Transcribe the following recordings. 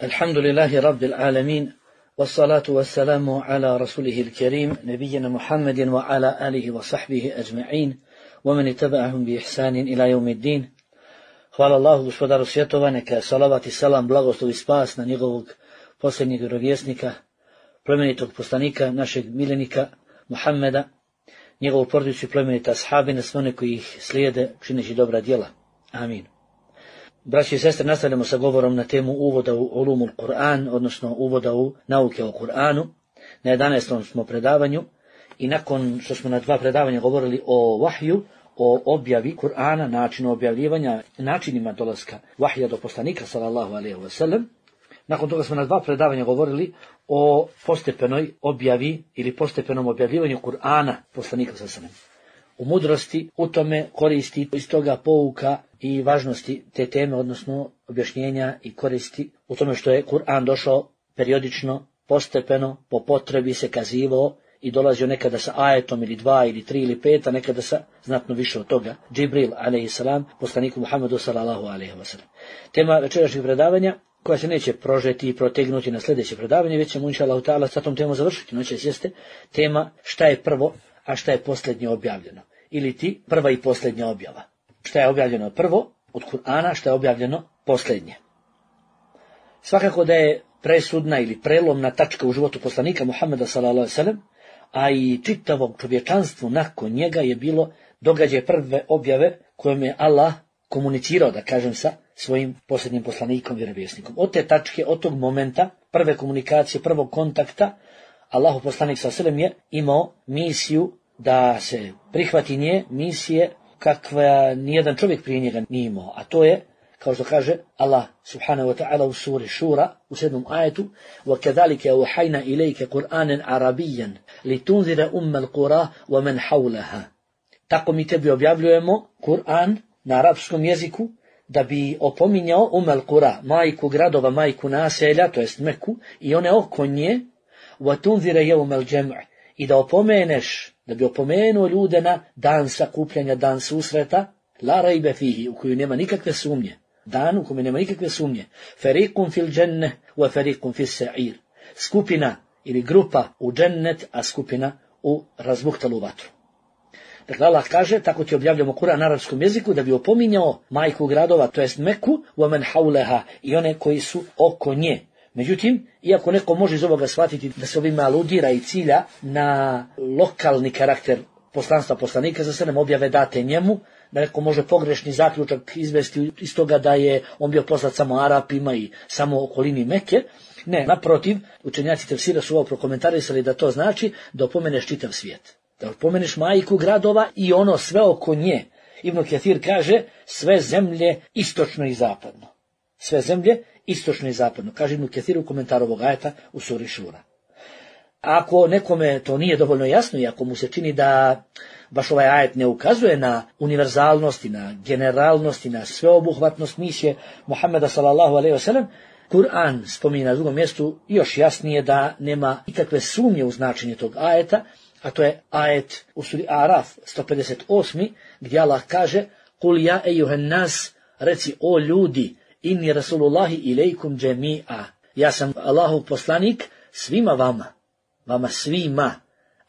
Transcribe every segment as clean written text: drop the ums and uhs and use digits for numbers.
الحمد لله رب العالمين والصلاة والسلام على رسوله الكريم نبينا محمد وعلى آله وصحبه أجمعين ومن اتبعهم بإحسان إلى يوم الدين. Hvala Allahu, gospodaru svjetova, neka salavat i salam, blagoslov i spas na njegovog posljednjeg vjerovjesnika, plemenitog poslanika, našeg miljenika Muhammeda, njegovu porodicu i plemenita ashabi, na sve one koji ih slijede čineći dobra djela. Amin. Braći i sestre, nastavljamo sa govorom na temu uvoda u ulumul Kur'an, odnosno uvoda u nauke o Kur'anu. Na 11. smo predavanju i nakon što smo na 2 predavanja govorili o vahju, o objavi Kur'ana, načinu objavljivanja, načinima dolaska vahja do poslanika sallallahu alejhi ve sellem. Nakon toga smo na 2 predavanja govorili o postepenoj objavi ili postepenom objavljivanju Kur'ana poslanika sallallahu alejhi ve sellem. U mudrosti, u tome koristi iz toga pouka i važnosti te teme, odnosno objašnjenja i koristi u tome što je Kur'an došao periodično, postepeno, po potrebi se kazivao i dolazio nekada sa ajetom ili 2 ili 3 ili 5, a nekada sa znatno više od toga. Džibril alejhiselam, poslaniku Muhammedu sallallahu alejhi ve sellem. Tema večerašnjeg predavanja, koja se neće prožeti i protegnuti na sljedeće predavanje, već ćemo inshallah ta'ala sa tom temom završiti. Noćas jeste tema šta je prvo, a šta je posljednje objavljeno. Ili ti prva i posljednja objava. Šta je objavljeno prvo od Kur'ana, šta je objavljeno posljednje. Svakako da je presudna ili prelomna tačka u životu poslanika Muhammeda sallallahu alejhi ve sellem, a i čitavog čovječanstvu nakon njega je bilo događaj prve objave kojom je Allah komunicirao, da kažem, sa svojim posljednjim poslanikom, vjerovjesnikom. Od te tačke, od tog momenta, prve komunikacije, prvog kontakta, Allahu poslanik sallallahu alejhi ve sellem je imao misiju da se prihvati nje, misije kakva nijedan čovjek prije njega nije imao, a to je, kao što kaže Allah subhanahu wa ta'ala u suri Šura, u 7. ajetu, وَكَذَلِكَ أَوْحَيْنَا إِلَيْكَ قُرْآنًا عَرَبِيًّا لِتُنذِرَ أُمَّ الْقُرَى وَمَنْ حَوْلَهَا. Tako mi tebi objavljujemo Kur'an na arapskom jeziku, da bi opominjao al-Qura, majku gradova, majku naselja, to jest Meku, i one oko nje, وَتُنذِرَ يَوْمَ الْجَمْعِ, i da opomeneš, da bi opomenuo ljude na dan sakupljanja, dan susreta, la rajbe fihi, u koju nema nikakve sumnje, dan u kojem nema nikakve sumnje, fariqun fil dženne, wa fariqun fil sa'ir, skupina ili grupa u džennet, a skupina u razbuhtalu vatru. Dakle, Allah kaže, tako ti objavljamo Kur'an na arapskom jeziku, da bi opominjao majku gradova, to jest Meku, wa man hawlaha, i one koji su oko nje. Međutim, iako neko može iz ovoga shvatiti da se ovime aludira i cilja na lokalni karakter poslanstva poslanika za sve objave date njemu, da neko može pogrešni zaključak izvesti iz toga da je on bio poslat samo Arapima i samo okolini Mekke. Ne, naprotiv, učenjaci tefsira su ovo prokomentarisali da to znači da opomeneš čitav svijet. Da opomeneš majku gradova i ono sve oko nje. Ibn Kathir kaže sve zemlje istočno i zapadno. Sve zemlje istočno i zapadno, kaže Ibn Kathir u komentaru ovog ajeta u suri Šura. Ako nekome to nije dovoljno jasno i ako mu se čini da baš ovaj ajet ne ukazuje na univerzalnost i na generalnost i na sveobuhvatnost misije Muhammeda sallallahu alejhi ve sellem, Kur'an spominje na drugom mjestu još jasnije da nema nikakve sumnje u značenje tog ajeta, a to je ajet u suri Araf 158. gdje Allah kaže Kul ja ejuhen nas, reci o ljudi, inni rasulullahi ilejkum džemi'a. Ja sam Allahov poslanik svima vama svima.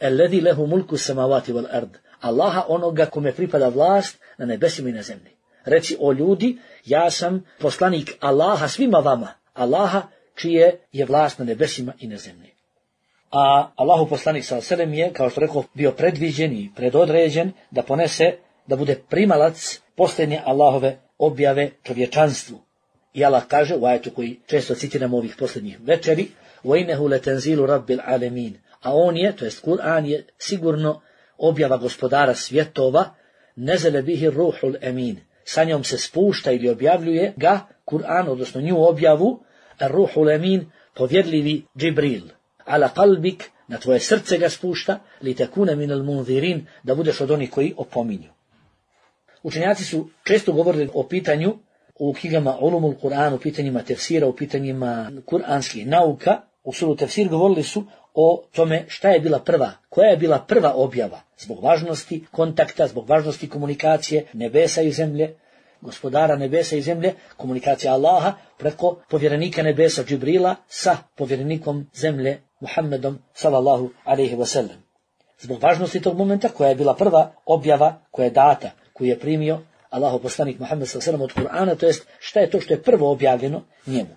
Alladhi lehu mulku samavati wal ard. Allaha, onoga kome pripada vlast na nebesima i na zemlji. Reci o ljudi, ja sam poslanik Allaha svima vama. Allaha čije je vlast na nebesima i na zemlji. A Allahov poslanik sallallahu alejhi ve sellem je, kao što rekao, bio predviđen i predodređen da ponese, da bude primalac posljednje Allahove objave čovječanstvu. I Allah kaže u ajetu koji često citiramo ovih posljednjih večeri, وَإِنَّهُ لَتَنْزِيلُ رَبِّ الْعَالَمِينَ, a on je, to jest Kur'an je sigurno objava gospodara svjetova, نَزَلَ بِهِ الرُّوحُ الْأَمِينَ, sa njom se spušta ili objavljuje ga Kur'an, odnosno nju objavu, الرُّوحُ الْأَمِينَ, povjedljivi Džibril, ala qalbik, na tvoje srce ga spušta, لِتَكُونَ مِنَ الْمُنذِرِينَ, da budeš od onih koji opominju. Učenjaci su često govorili o pitanju u knjigama Ulumul Kur'an, u pitanjima tefsira, u pitanjima kuranskih nauka, u suru tefsir govorili su o tome šta je bila prva, koja je bila prva objava, zbog važnosti kontakta, zbog važnosti komunikacije nebesa i zemlje, gospodara nebesa i zemlje, komunikacija Allaha preko povjerenika nebesa Džibrila sa povjerenikom zemlje Muhammedom sallallahu alejhi ve sellem. Zbog važnosti tog momenta, koja je bila prva objava koja je data, koju je primio Allahov poslanik Muhammed sallallahu alejhi ve sellem od Kur'ana, to jest šta je to što je prvo objavljeno njemu.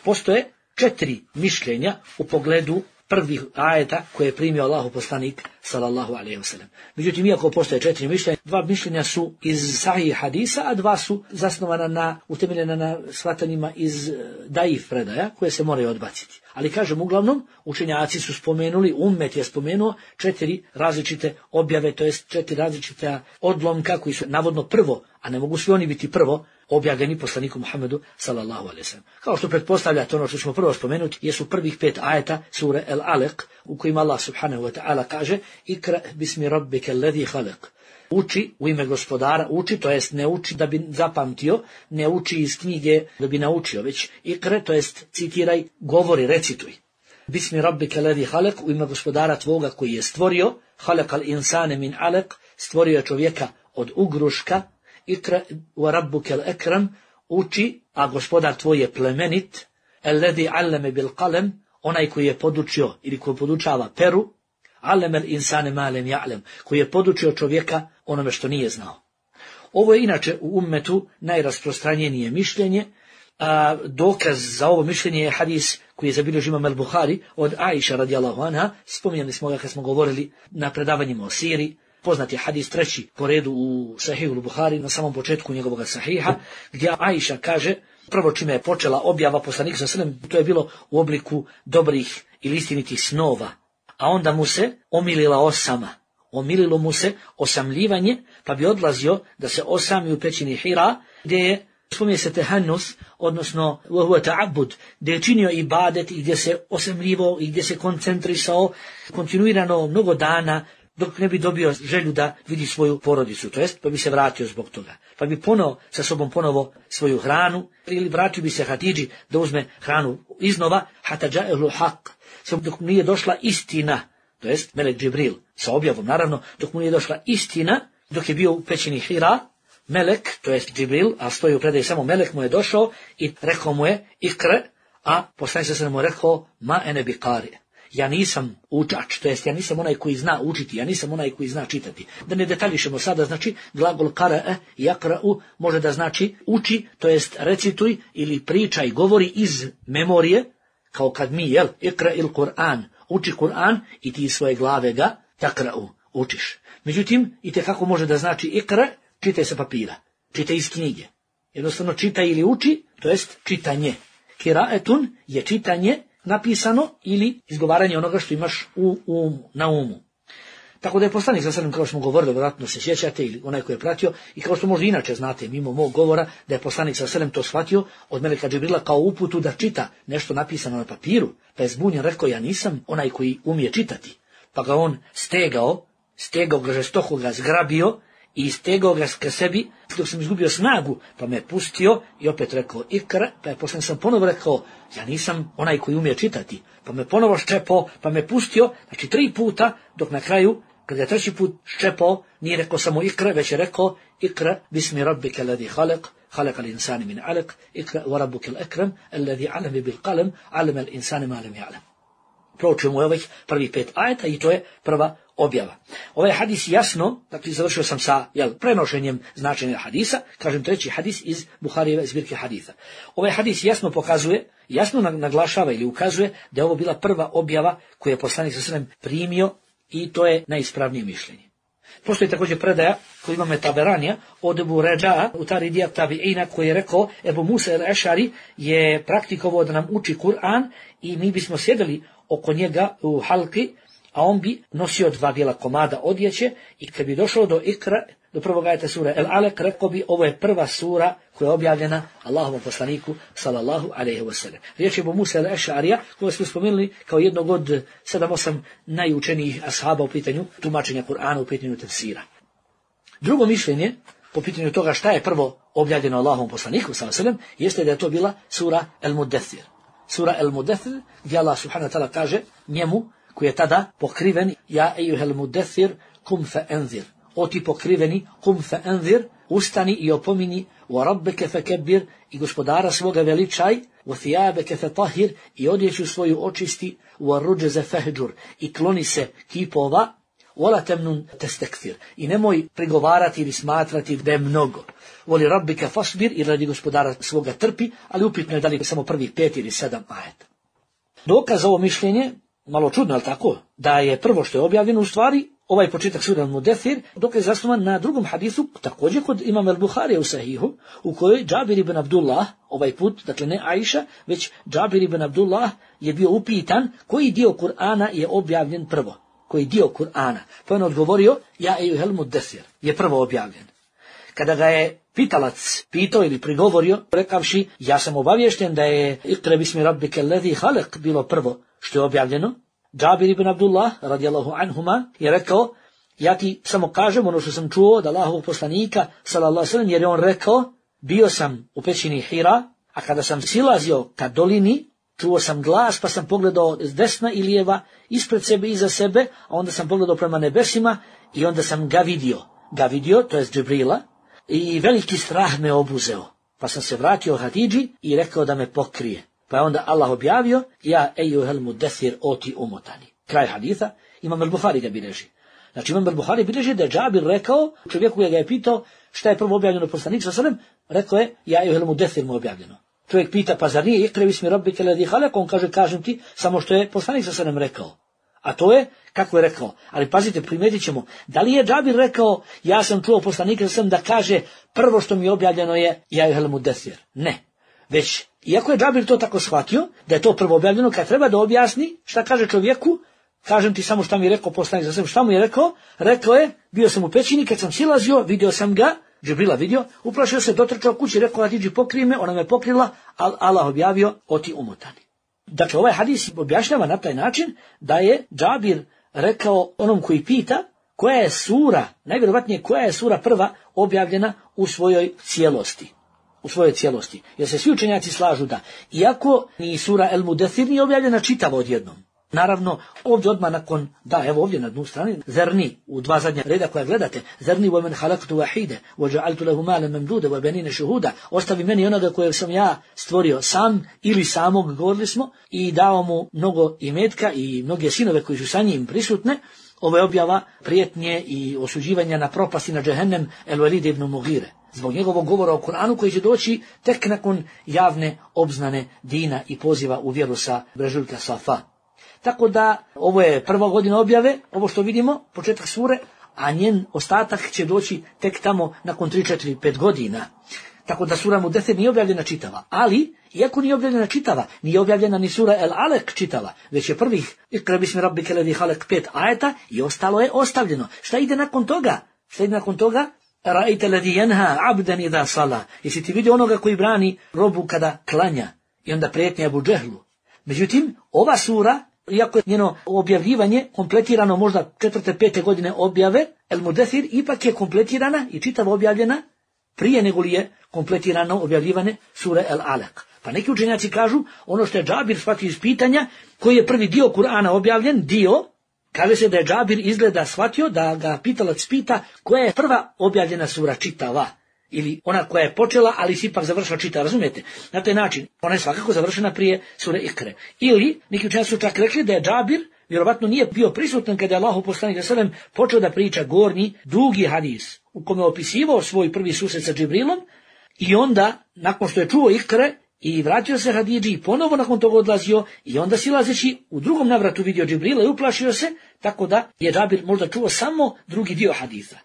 Postoje 4 mišljenja u pogledu prvih ajeta koje je primio Allahov poslanik sallallahu alejhi ve sellem. Međutim, iako postoje 4 mišljenja, 2 mišljenja su iz sahih hadisa, a 2 su zasnovana utemeljena na shvatanjima iz daif predaja koje se moraju odbaciti. Ali kažem, uglavnom, učenjaci su spomenuli, ummet je spomenuo 4 različite objave, to jest 4 različite odlomka koji su navodno prvo, a ne mogu svi oni biti prvo, objavljeni poslaniku Muhammedu sallallahu alejhi ve sellem. Kao što pretpostavljate, ono što ćemo prvo spomenuti jesu prvih 5 ajeta sure El-Alaq, u kojima Allah subhanahu wa ta'ala kaže: Ikra bismi rabbika alladhi khalaq. Uči u ime gospodara, uči, to jest ne uči da bi zapamtio, ne uči iz knjige da bi naučio, već ikre, to jest citiraj, govori, recituj. Bismi rabbika alladhi khalaq, u ime gospodara tvoga koji je stvorio, khalaqal insane min alaq, stvorio je čovjeka od ugruška. Ikra wa rabbukel ekram, uči, a gospodar tvoj je plemenit, alladhi allama bil qalam, onaj koji je podučio ili koji podučava peru, allama al insane ma lam ya'lam, koji je podučio čovjeka onome što nije znao. Ovo je inače u ummetu najrasprostranjenije mišljenje, a dokaz za ovo mišljenje je hadis koji je zabilježio Imam al-Buhari od Aisha radijallahu anha, spominjali smo ga kad smo govorili na predavanjima o siri. Poznat je hadis 3. po redu u Sahihu al-Buhari, na samom početku njegovog sahiha, gdje Aisha kaže, prvo čime je počela objava poslanika sallallahu alejhi ve sellem, to je bilo u obliku dobrih ili istinitih snova, a onda mu se omilila osama. Omililo mu se osamljivanje, pa bi odlazio da se osami u pećini Hira, gdje je, spominje se tehannus, odnosno ta'abbud, gdje je činio ibadet i gdje se osamljivo i gdje se koncentrisao kontinuirano mnogo dana, dok ne bi dobio želju da vidi svoju porodicu, to jest pa bi se vratio zbog toga. Pa bi sa sobom ponovo svoju hranu, ili vratio bi se Hatidži da uzme hranu iznova, hatta ja'ahu haq, dok mu nije došla istina, to jest melek Džibril, sa objavom naravno, dok mu nije došla istina, dok je bio u pećini Hira, melek, to jest Džibril, a stoji u predaji samo melek, mu je došao i rekao mu je ikre, a poslanik se mu rekao ma ene biqari. Ja nisam učač, to jest ja nisam onaj koji zna učiti, ja nisam onaj koji zna čitati. Da ne detaljišemo sada, znači glagol qara'a i yaqra'u može da znači uči, to jest recituj ili pričaj, govori iz memorije, kao kad mi, ikra il Kur'an, uči Kur'an i ti iz svoje glave ga takra'u, učiš. Međutim, itekako može da znači ikra, čitaj sa papira, čitaj iz knjige. Jednostavno čitaj ili uči, to jest čitanje. Kiraetun je čitanje, napisano ili izgovaranje onoga što imaš na umu. Tako da je poslanik sallallahu alejhi ve sellem, kao što smo govorili, vjerojatno se sjećate ili onaj koji je pratio, i kao što možda inače znate mimo mog govora, da je poslanik sallallahu alejhi ve sellem to shvatio od meleka Džibrila kao uputu da čita nešto napisano na papiru, pa je zbunjen, rekao ja nisam onaj koji umije čitati. Pa ga on stegao ga žestoko, ga zgrabio i stegao ga ka sebi dok sam izgubio snagu, pa me pustio i opet rekao ikra, pa je poslanik sam ponovo rekao ja nisam onaj koji umije čitati, pa me ponovo ščepao, pa me pustio, znači 3 puta, dok na kraju kad je 3. put ščepao, nije rekao samo ikra, već je rekao ikra bismi rabbika alladhi khalaq, khalaqal insana min alaq, ikra wa rabbukal akram alladhi 'allama bil qalam 'allama al insana ma lam ya'lam. Proučujemo ovih prvih 5 ajeta i to je prva objava. Ovaj hadis jasno, dakle završio sam sa prenošenjem značenja hadisa, kažem 3. hadis iz Buharijeve zbirke hadisa. Ovaj hadis jasno pokazuje, jasno naglašava ili ukazuje da je ovo bila prva objava koju je poslanik sallallahu alejhi ve sellem primio i to je najispravnije mišljenje. Postoji također predaja koju imamo Taberanija od Ebu Ređa'a, Utaridija Tabi'ina, koji je rekao Ebu Musa el-Ešari je praktikovao da nam uči Kur'an i mi bismo sjedili oko njega u halki, a on bi nosio 2 bijela komada odjeće i kad bi došao do ikra, do prvog ajeta sure El-Alaq, rekao bi ovo je prva sura koja je objavljena Allahovom poslaniku sallallahu alejhi ve sellem. Riječ je Ebu Musa el-Ešarija, koga smo spomenuli kao jednog od 7-8 najučenijih ashaba u pitanju tumačenja Kur'ana, u pitanju tefsira. Drugo mišljenje po pitanju toga šta je prvo objavljeno Allahovom poslaniku sallallahu alejhi ve sellem jeste da je to bila sura El-Mudaththir. Sura El-Mudaththir, gdje Allah subhanahu wa ta'ala kaže njemu koji je tada pokriven ja ejuhel mudaththir kum fa anzir. o ti pokriveni, kum fa anzir, ustani i opomini, wa rabbeke fekebbir, i gospodara svoga veličaj, wa thiyabeke fetahhir, i odjeću svoju očisti, wa rudžeze fehđur, i kloni se kipova, wala temnun testekfir, i nemoj prigovarati ili smatrati da je mnogo. Voli rabbike fasbir, i radi gospodara svoga trpi, ali upitno je da li samo prvih 5 ili 7 ajeta. Dokaz za ovo mišljenje, malo čudno, ali tako, da je prvo što je objavljeno u stvari, ovaj početak sure Al-Mudathir, dokaz je zasnovan na drugom hadisu, također kod imama Al-Buharija u Sahihu, u kojoj Džabir ibn Abdullah, ovaj put, dakle ne Aisha, već Džabir ibn Abdullah je bio upitan koji dio Kur'ana je objavljen prvo, koji dio Kur'ana. Pa on odgovorio, ja ejuhel mudathir, je prvo objavljen. Kada ga je pitalac pitao ili prigovorio, rekavši, ja sam obaviješten da je Iqra bismi rabbike alladhi khalaq bilo prvo što je objavljeno, Džabir ibn Abdullah, radijallahu anhuma, je rekao, ja ti samo kažem ono što sam čuo od Allahovog poslanika, sallallahu alejhi ve sellem, jer je on rekao, bio sam u pećini Hira, a kada sam silazio ka dolini, čuo sam glas, pa sam pogledao s desna i lijeva, ispred sebe i iza sebe, a onda sam pogledao prema nebesima i onda sam ga vidio, to je Džibrila, i veliki strah me obuzeo. Pa sam se vratio Hatidži i rekao da me pokrije. Pa je onda Allah objavio, ja ejuhel mudathir, o ti umotani. Kraj haditha, imam Al-Buhari ga bilježi. Znači imam Al-Buhari bilježi da je Džabir rekao, čovjeku ga je pitao šta je prvo objavljeno poslanik sallallahu alejhi ve sellem, rekao je, ja ejuhel mudathir mu objavljeno. Čovjek pita, pa zar nije Iqra bismi rabbike alladhi khalaq? On kaže, kažem ti, samo što je poslanik sallallahu alejhi ve sellem rekao. A to je, kako je rekao, ali pazite, primetit ćemo, da li je Džabir rekao, ja sam čuo poslanika sallallahu alejhi ve sellem da kaže, prvo što mi je objavljeno je, ja ejuhel mudathir. Ne. Već, iako je Džabir to tako shvatio, da je to prvo objavljeno, kad treba da objasni šta kaže čovjeku, kažem ti samo šta mi je rekao poslanik sallallahu alejhi ve sellem, šta mu je rekao? Rekao je, bio sam u pećini, kad sam silazio, vidio sam ga, Džibrila vidio, uplašio se, dotrčao kući, rekao, Hatidži pokrij me, ona me pokrila, ali Allah objavio, o ti umotani. Dakle, ovaj hadis objašnjava na taj način da je Džabir rekao onom koji pita koja je sura, najvjerovatnije koja je sura prva objavljena u svojoj cijelosti. Jer se svi učenjaci slažu da, iako ni sura El-Mudathir nije objavljena čitavo odjednom. Naravno, ovdje odmah nakon, da, evo ovdje na dnu strani, zerni, u 2 zadnja reda koja gledate, zerni wa men halaktu wahide, wa ja'altu lahu malan mamduda, wa banina shuhuda, ostavi meni onoga kojeg sam ja stvorio sam ili samog, govorili smo, i dao mu mnogo imetka i mnoge sinove koji su sa njim prisutne. Ovo je objava prijetnje i osuđivanja na propast i na džehennem El-Walid ibn Mughire, zbog njegovog govora o Kur'anu koji će doći tek nakon javne obznane dina i poziva u vjeru sa brežuljka Safa. Tako da ovo je prva godina objave, ovo što vidimo, početak sure, a njen ostatak će doći tek tamo nakon 3, 4, 5 godina. Tako da sura Mudathir nije objavljena čitava, ali iako nije objavljena čitava, nije objavljena ni sura El-Alaq čitava, već je prvih Iqra bismi rabbike alladhi khalaq 5 ajeta i ostalo je ostavljeno. Šta ide nakon toga? Ra'aita alladhi yanha 'abdan idha salla. Jesi ti vidio onoga koji brani robu kada klanja? I onda prijetnja Abu Džehlu. Međutim, ova sura, iako je njeno objavljivanje kompletirano možda 4. 5. godine objave, El-Mudathir ipak je kompletirana i čitavo objavljena prije nego li je kompletirano objavljivanje sure El-Alaq. Pa neki učenjaci kažu, ono što je Džabir shvatio iz pitanja, koji je prvi dio Kur'ana objavljen, kaže se da je Džabir izgleda shvatio da ga pitalac pita koja je prva objavljena sura čitava, ili ona koja je počela, ali si ipak završila čitava, razumijete? Na taj način, ona je svakako završena prije sure Ikre. Ili, neki učenjaci su čak rekli da je Džabir vjerovatno nije bio prisutan kada je Allahov poslanik sallallahu alejhi ve sellem počeo da priča gornji, dugi hadis, u kome je opisivao svoj prvi susret sa Džibrilom, i onda, nakon što je čuo Ikre, i vratio se Hatidži i ponovo nakon toga odlazio i onda silazeći u drugom navratu vidio Džibrila i uplašio se, tako da je Džabir možda čuo samo drugi dio hadisa.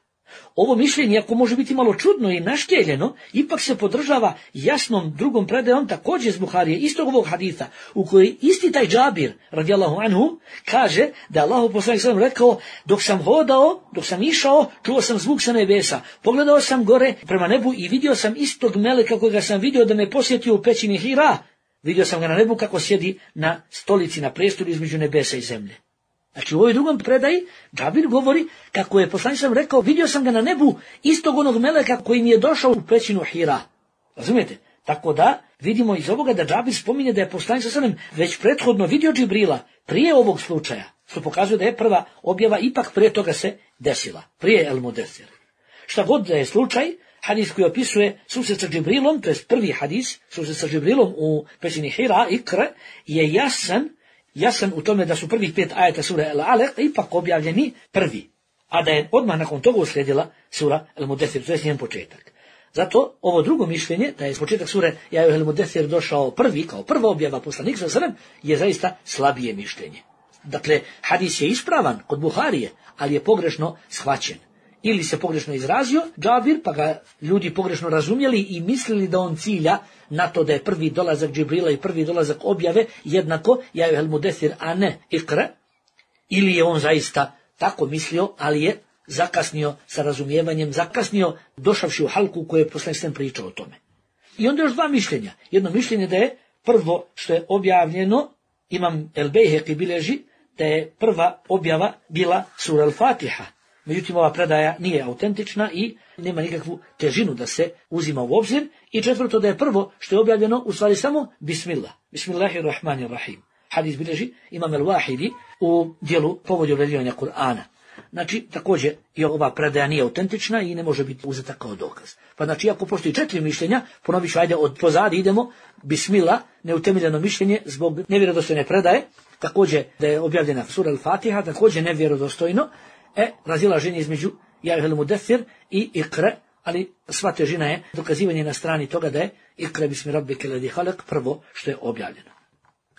Ovo mišljenje, iako može biti malo čudno i naškeljeno, ipak se podržava jasnom drugom predajom također iz Buharije, istog ovog haditha, u kojoj isti taj Džabir, radijallahu anhu, kaže da Allahov poslanik sallallahu alejhi ve sellem rekao, dok sam hodao, dok sam išao, čuo sam zvuk sa nebesa, pogledao sam gore prema nebu i vidio sam istog meleka kojega sam vidio da me posjetio u pećini Hira. Vidio sam ga na nebu kako sjedi na stolici, na prestolu između nebesa i zemlje. Znači u ovoj drugom predaji Džabir govori kako je poslanik sallallahu alejhi ve sellem rekao, vidio sam ga na nebu istog onog meleka koji mi je došao u pećinu Hira. Razumijete? Tako da vidimo iz ovoga da Džabir spominje da je poslanik sallallahu alejhi ve sellem već prethodno vidio Džibrila prije ovog slučaja. Što pokazuje da je prva objava ipak prije toga se desila, prije El Mudesir. Šta god da je slučaj, hadis koji opisuje susret sa Džibrilom, to je prvi hadis, susret sa Džibrilom u pećini Hira, Ikre, je jasan u tome da su prvih 5 ajeta sure El Alaq ipak objavljeni prvi, a da je odmah nakon toga uslijedila sura El Mudesir, to je njen početak. Zato ovo drugo mišljenje, da je početak sure Ja El Mudesir došao prvi, kao prva objava poslanika sallallahu alejhi ve sellem, je zaista slabije mišljenje. Dakle, hadis je ispravan kod Buharije, ali je pogrešno shvaćen. Ili se pogrešno izrazio Džabir, pa ga ljudi pogrešno razumjeli i mislili da on cilja na to da je prvi dolazak Džibrila i prvi dolazak objave jednako Ja El Mudesir, a ne Ikra. Ili je on zaista tako mislio, ali je zakasnio sa razumijevanjem, zakasnio došavši u halku koje je poslanik sallallahu alejhi ve sellem pričao o tome. I onda još dva mišljenja. Jedno mišljenje da je prvo što je objavljeno, Imam El Bejheqi bilježi da je prva objava bila sura Al-Fatiha. Međutim, ova predaja nije autentična i nema nikakvu težinu da se uzima u obzir. I četvrto, da je prvo što je objavljeno u stvari samo Bismillah. Bismillahirrahmanirrahim. Hadis bilježi Imam El-Wahidi u dijelu povodi objavljivanja Kur'ana. Znači, također i ova predaja nije autentična i ne može biti uzeta kao dokaz. Pa znači, ako postoji 4 mišljenja, ponovit ću, ajde od pozadi idemo, Bismillah, neutemeljeno mišljenje zbog nevjerodostojne predaje, također da je objavljena sura Al-Fatiha, također nevjerodostojno, razilaženje između Ja El Mudesir i Ikra, ali sva težina je dokazivanje na strani toga da je Ikra bismi rabbike ledi halak prvo što je objavljeno.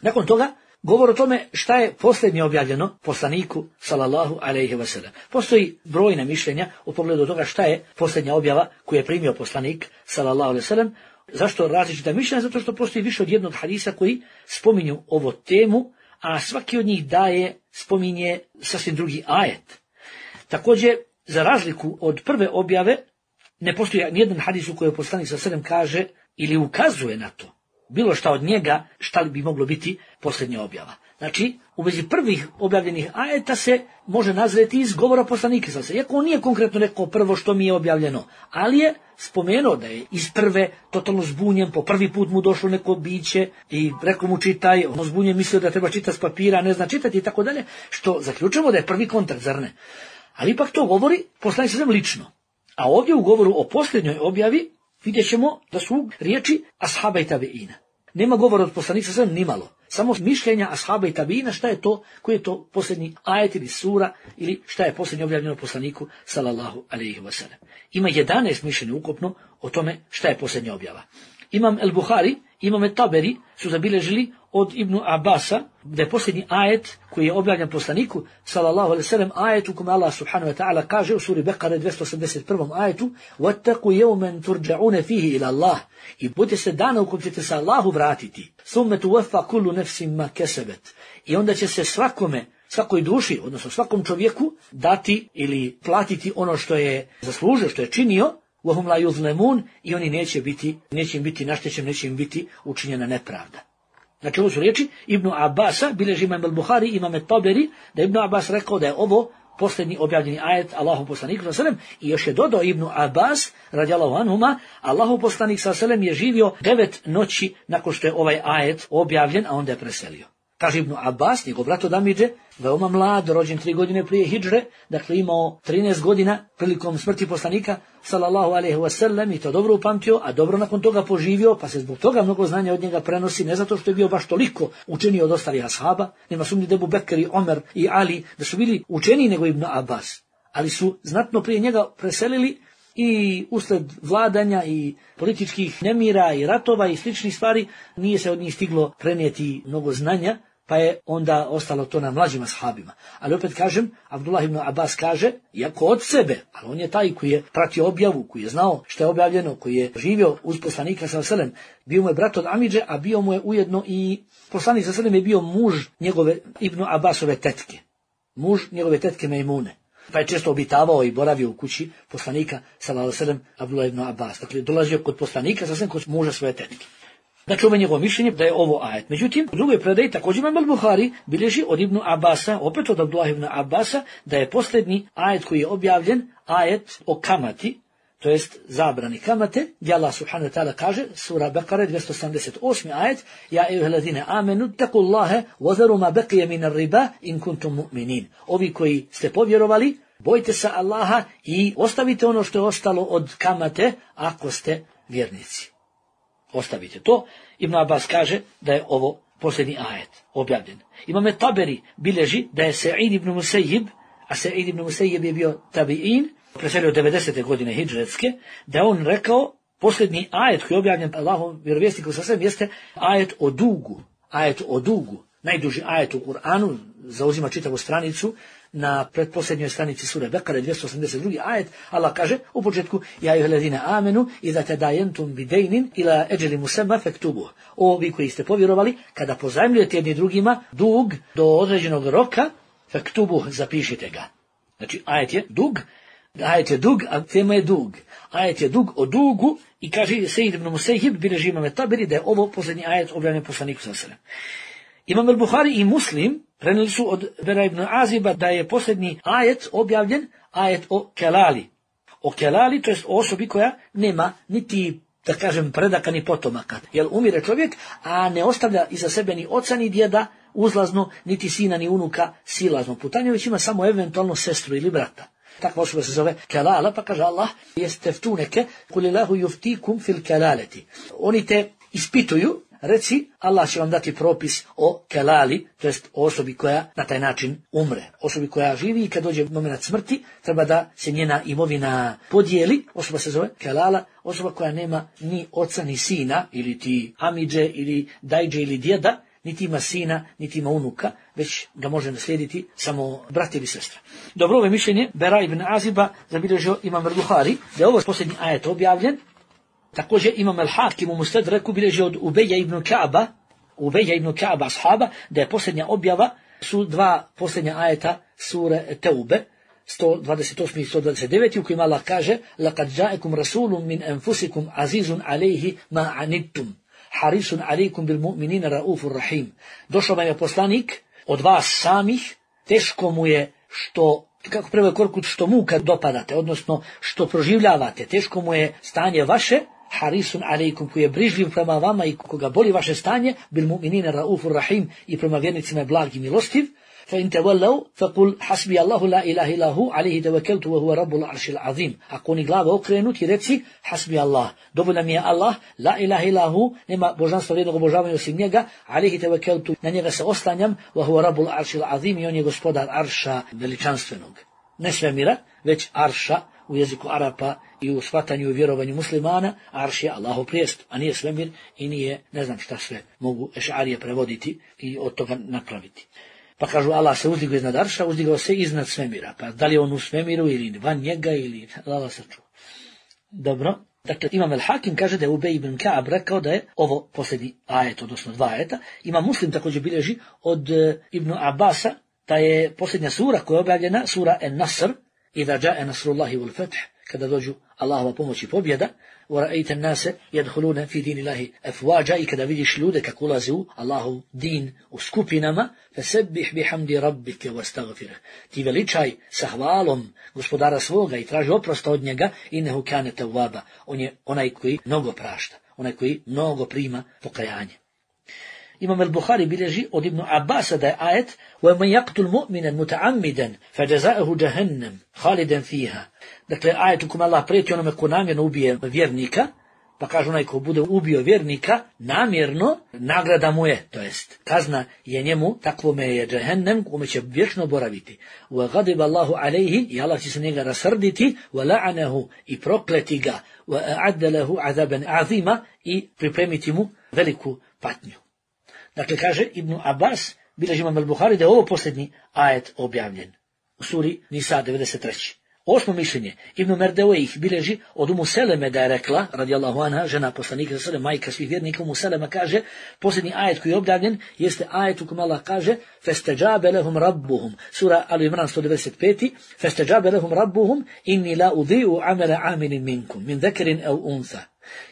Nakon toga, govor o tome šta je posljednje objavljeno poslaniku sallallahu alejhi ve sellem. Postoji brojna mišljenja u pogledu toga šta je posljednja objava koju je primio poslanik sallallahu alejhi ve sellem. Zašto različita mišljenja? Zato što postoji više od jednog hadisa koji spominju ovu temu, a svaki od njih spominje sasvim drugi ajet. Također, za razliku od prve objave, ne postoji nijedan hadis u kojoj poslanik sallallahu alejhi ve sellem kaže ili ukazuje na to bilo šta od njega, šta li bi moglo biti posljednja objava. Znači, u vezi prvih objavljenih ajeta se može nazreti iz govora poslanika. Iako on nije konkretno rekao prvo što mi je objavljeno, ali je spomenuo da je iz prve totalno zbunjen, po prvi put mu došlo neko biće i rekao mu čitaj, on zbunjen mislio da treba čitati s papira, ne zna čitati i tako dalje, što zaključujemo da je prvi kontakt, zar ne? Ali ipak to govori poslanik sallallahu alejhi ve sellem lično. A ovdje u govoru o posljednjoj objavi vidjet ćemo da su riječi ashaba i tabeina. Nema govora od poslanika sallallahu alejhi ve sellem nimalo. Samo mišljenja ashaba i tabeina šta je to, koji je to posljednji ajet ili sura ili šta je posljednje objavljeno poslaniku sallallahu alejhi ve sellem. Ima 11 mišljenja ukupno o tome šta je posljednja objava. Imam El-Buhari, Imam Taberi su zabilježili od Ibnu Abasa da je posljednji ajet koji je objavljen poslaniku sallallahu alejhi ve sellem ajet u kome Allah subhanahu wa ta'ala kaže u suri Bekare 281. ajetu وَاتَّقُوا يَوْمًا تُرْجَعُونَ فِيهِ إِلَى اللَّهِ i budite se dana u kojem ćete se Allahu vratiti ثُمَّ تُوَفَّى كُلُّ نَفْسٍ مَا كَسَبَتْ i onda će se svakoj duši, odnosno svakom čovjeku dati ili platiti ono što je zaslužio, što je činio, وَهُمْ لَا يُظْلَمُونَ i oni neće im biti naštećen, neće im biti učinjena nepravda. Znači ovo su riječi Ibnu Abasa, bilježi Imam Al-Buhari, Imam Taberi, da Ibnu Abbas rekao da je ovo posljednji objavljeni ajet Allahu poslanik sallallahu alejhi ve sellem i još je dodao Ibnu Abbas radijallahu anhuma, Allahu poslanik sallallahu alejhi ve sellem je živio 9 noći nakon što je ovaj ajet objavljen, a onda je preselio. Kaže Ibnu Abbas, njegov brat od Amidže, veoma mlad, rođen 3 godine prije hidžre, dakle imao 13 godina prilikom smrti poslanika sallallahu alejhi ve sellem i to dobro upamtio, a dobro nakon toga poživio, pa se zbog toga mnogo znanja od njega prenosi, ne zato što je bio baš toliko učeniji od ostalih ashaba, nema sumnje da Ebu Bekr i Omer i Ali da su bili učeniji nego Ibnu Abbas, ali su znatno prije njega preselili i usled vladanja i političkih nemira i ratova i sličnih stvari nije se od njih stiglo prenijeti mnogo znanja, pa je onda ostalo to na mlađim ashabima. Ali opet kažem, Abdullah ibn Abbas kaže, iako od sebe, ali on je taj koji je pratio objavu, koji je znao što je objavljeno, koji je živio uz poslanika sallallahu alejhi ve sellem, bio mu je brat od Amidže, a bio mu je ujedno i poslanik sallallahu alejhi ve sellem je bio muž njegove Ibn Abbasove tetke. Muž njegove tetke Mejmune. Pa je često obitavao i boravio u kući poslanika sallallahu alejhi ve sellem Abdullah ibn Abbas. Dakle, dolazio kod poslanika sallallahu kod muža svoje tetke. Znači, ovo je njegovo mišljenje da je ovo ajet. Međutim, u drugoj predaji također Imam Al-Buhari bilježi od Ibnu Abasa, opet od Abdullah ibn Abbasa, da je posljednji ajet koji je objavljen, ajet o kamati, to jest zabrani kamate, gdje Allah subhanahu wa ta'ala kaže, sura Bekare 278. ajet, ja ejuheladine amenu, takullahe, wazaru ma beqije minar riba, in kuntum mu'minin. Ovi koji ste povjerovali, bojte se Allaha i ostavite ono što je ostalo od kamate, ako ste vjernici. Ostavite to. Ibn Abbas kaže da je ovo posljednji ajet objavljen. Imam Taberi bilježi da je Sa'id ibn Musayyib, a Sa'id ibn Musayyib je bio tabi'in, preselio 90. godine hidžretske, da je on rekao, posljednji ajet koji je objavljen Allahom vjerovjesniku sa svem jeste ajet o dugu. Ajet o dugu. Najduži ajet u Kur'anu, zauzima čitavu stranicu, na pretposljednjoj stranici sure Bekare 282. ajet, Allah kaže u početku, ja ejuheladine amenu, idha tadajentum bidejnin ila eđeli musemma fektubuh. Ovi koji ste povjerovali, kada pozajmljujete jedni drugima dug do određenog roka, fektubuh, zapišite ga. Znači, ajet je dug, a tema je dug. Ajet je dug o dugu i kaže Sa'id ibn Musayyib, bilježi Imam Taberi, da je ovo posljednji ajet objavljen poslaniku sallallahu alejhi ve sellem. Imam al-Buhari i Muslim prenijeli su od Bera ibn Aziba da je posljednji ajet objavljen, ajet o kelali. O kelali, to jest o osobi koja nema niti, da kažem, predaka ni potomaka. Jer umire čovjek, a ne ostavlja iza sebe ni oca ni djeda uzlazno, niti sina ni unuka silazno putanje, već ima samo eventualno sestru ili brata. Takva osoba se zove kelala, pa kaže Allah, jesteftuneke, kulilahu yuftikum fil kelaleti. Oni te ispituju, reci, Allah će vam dati propis o kelali, to jest o osobi koja na taj način umre. Osobi koja živi i kad dođe moment smrti, treba da se njena imovina podijeli. Osoba se zove kelala, osoba koja nema ni oca ni sina, ili ti amidže, ili dajđe, ili djeda, niti ima sina, niti ima unuka, već ga može naslijediti samo brat ili sestra. Dobro, ovo mišljenje Bera ibn Aziba zabilježio Imam al-Buhari, da je ovo posljednji ajet objavljen. Također Imam al-Hakim u Mustadreku bilježi od Ubeja ibn Ka'ba ashaba, da je posljednja objava su dva posljednja ajeta sure Teube, 128. i 129. u kojima Allah kaže لَقَدْ جَاءَكُمْ رَسُولٌ مِنْ أَنْفُسِكُمْ عَزِيزٌ عَلَيْهِ مَا عَنِدْتُمْ حَرِيصٌ عَلَيْكُمْ بِالْمُؤْمِنِينَ رَؤُوفٌ رَحِيمٌ. Došao vam je poslanik od vas samih, teško mu je što, kako prvo korkut, što muka dopadate, odnosno što proživljavate, teško mu je stanje vaše, harisun alejkum, koji je brižljiv prema vama i koga boli vaše stanje, bil mu'minina raufur rahim, i prema vjernicima je blag i milostiv. Fa in tawallaw faqul hasbi Allahu la ilaha illa hu alayhi tawakkaltu wa huwa rabbul arshil azim. Ako oni glave okrenuti, reci hasbi Allah, dovoljan mi je Allah, la ilaha illa hu, nema božanstva vrijednog obožavanja osim njega, alayhi tawakkaltu, na njega se oslanjam, wa huwa rabbul arshil azim, i on je gospodar arša veličanstvenog. Ne svemira, već arša u jeziku Arapa i u shvatanju i vjerovanju muslimana, arš je Allahov prijestup, a nije svemir i nije, ne znam šta sve mogu ešarije prevoditi i od toga napraviti. Pa kažu, Allah se uzdigao iznad arša, uzdigao se iznad svemira. Pa da li on u svemiru ili van njega ili Allah sačuva. Dobro. Dakle, Imam al-Hakim kaže da je Ubej ibn Ka'ab rekao da je ovo posljednji ajet, odnosno dva ajeta. Imam Muslim također bilježi od Ibn Abbasa da je posljednja sura koja je objavljena, sura En-Nasr, Iza ja'a nasrullahi wal fath, kada dođu Allahova pomoć i pobjeda, wa ra'aita an-nase yadkhuluna fi dinillahi afwaja, i kada vidiš ljude kako ulaze u Allahov din u skupinama, fasabbih bihamdi rabbika wastaghfirh. Ti veličaj sa hvalom gospodara svoga i traži oprost od njega, innehu kana tawwaba. On je onaj koji mnogo prašta, onaj koji mnogo prima pokajanje. Imam al-Buhari bilježi od Ibn Abbasa da je ajet وَمَنْ يَقْتُلْ مُؤْمِنًا مُتَعَمِّدًا فَجَزَاءُهُ جَهَنَّمْ خَالِدًا فِيهَا. Dakle, ajet u kojem Allah prijeti onome ko namjerno ubije vjernika, pa kaže onaj ko bude ubio vjernika namjerno, nagrada mu je, to jest kazna je njemu, takvome je džehennem, kome će vječno boraviti. وَغَضِبَ اللَّهُ عَلَيْهِ, i Allah će se njega rasrditi, وَلَعَنَهُ, i prokleti ga, وَأَعَدَّ لَهُ عَذَابًا عَظِيمًا, i pripremiti mu veliku patnju. Dakle, kaže Ibn Abbas, bilježi Imam al-Buhari, da je ovo posljednji ajet objavljen u suri Nisa 93. Osmo mišljenje, Ibn Merdevejh bilježi od Umu Seleme da je rekla, radijallahu anha, žena poslanika sallallahu, majka svih vjernika, Umu Selema kaže, posljednji ajet koji je objavljen jeste ajet u kojem Allah kaže فَاسْتَجَابَ لَهُمْ رَبُّهُمْ, sura Al-Imran 195. فَاسْتَجَابَ لَهُمْ رَبُّهُمْ إِنِّي لَا أُضِيعُ عَمَلَ عَامِلٍ مِنْكُمْ مِنْ ذَكَرٍ أَوْ أُنْثَى.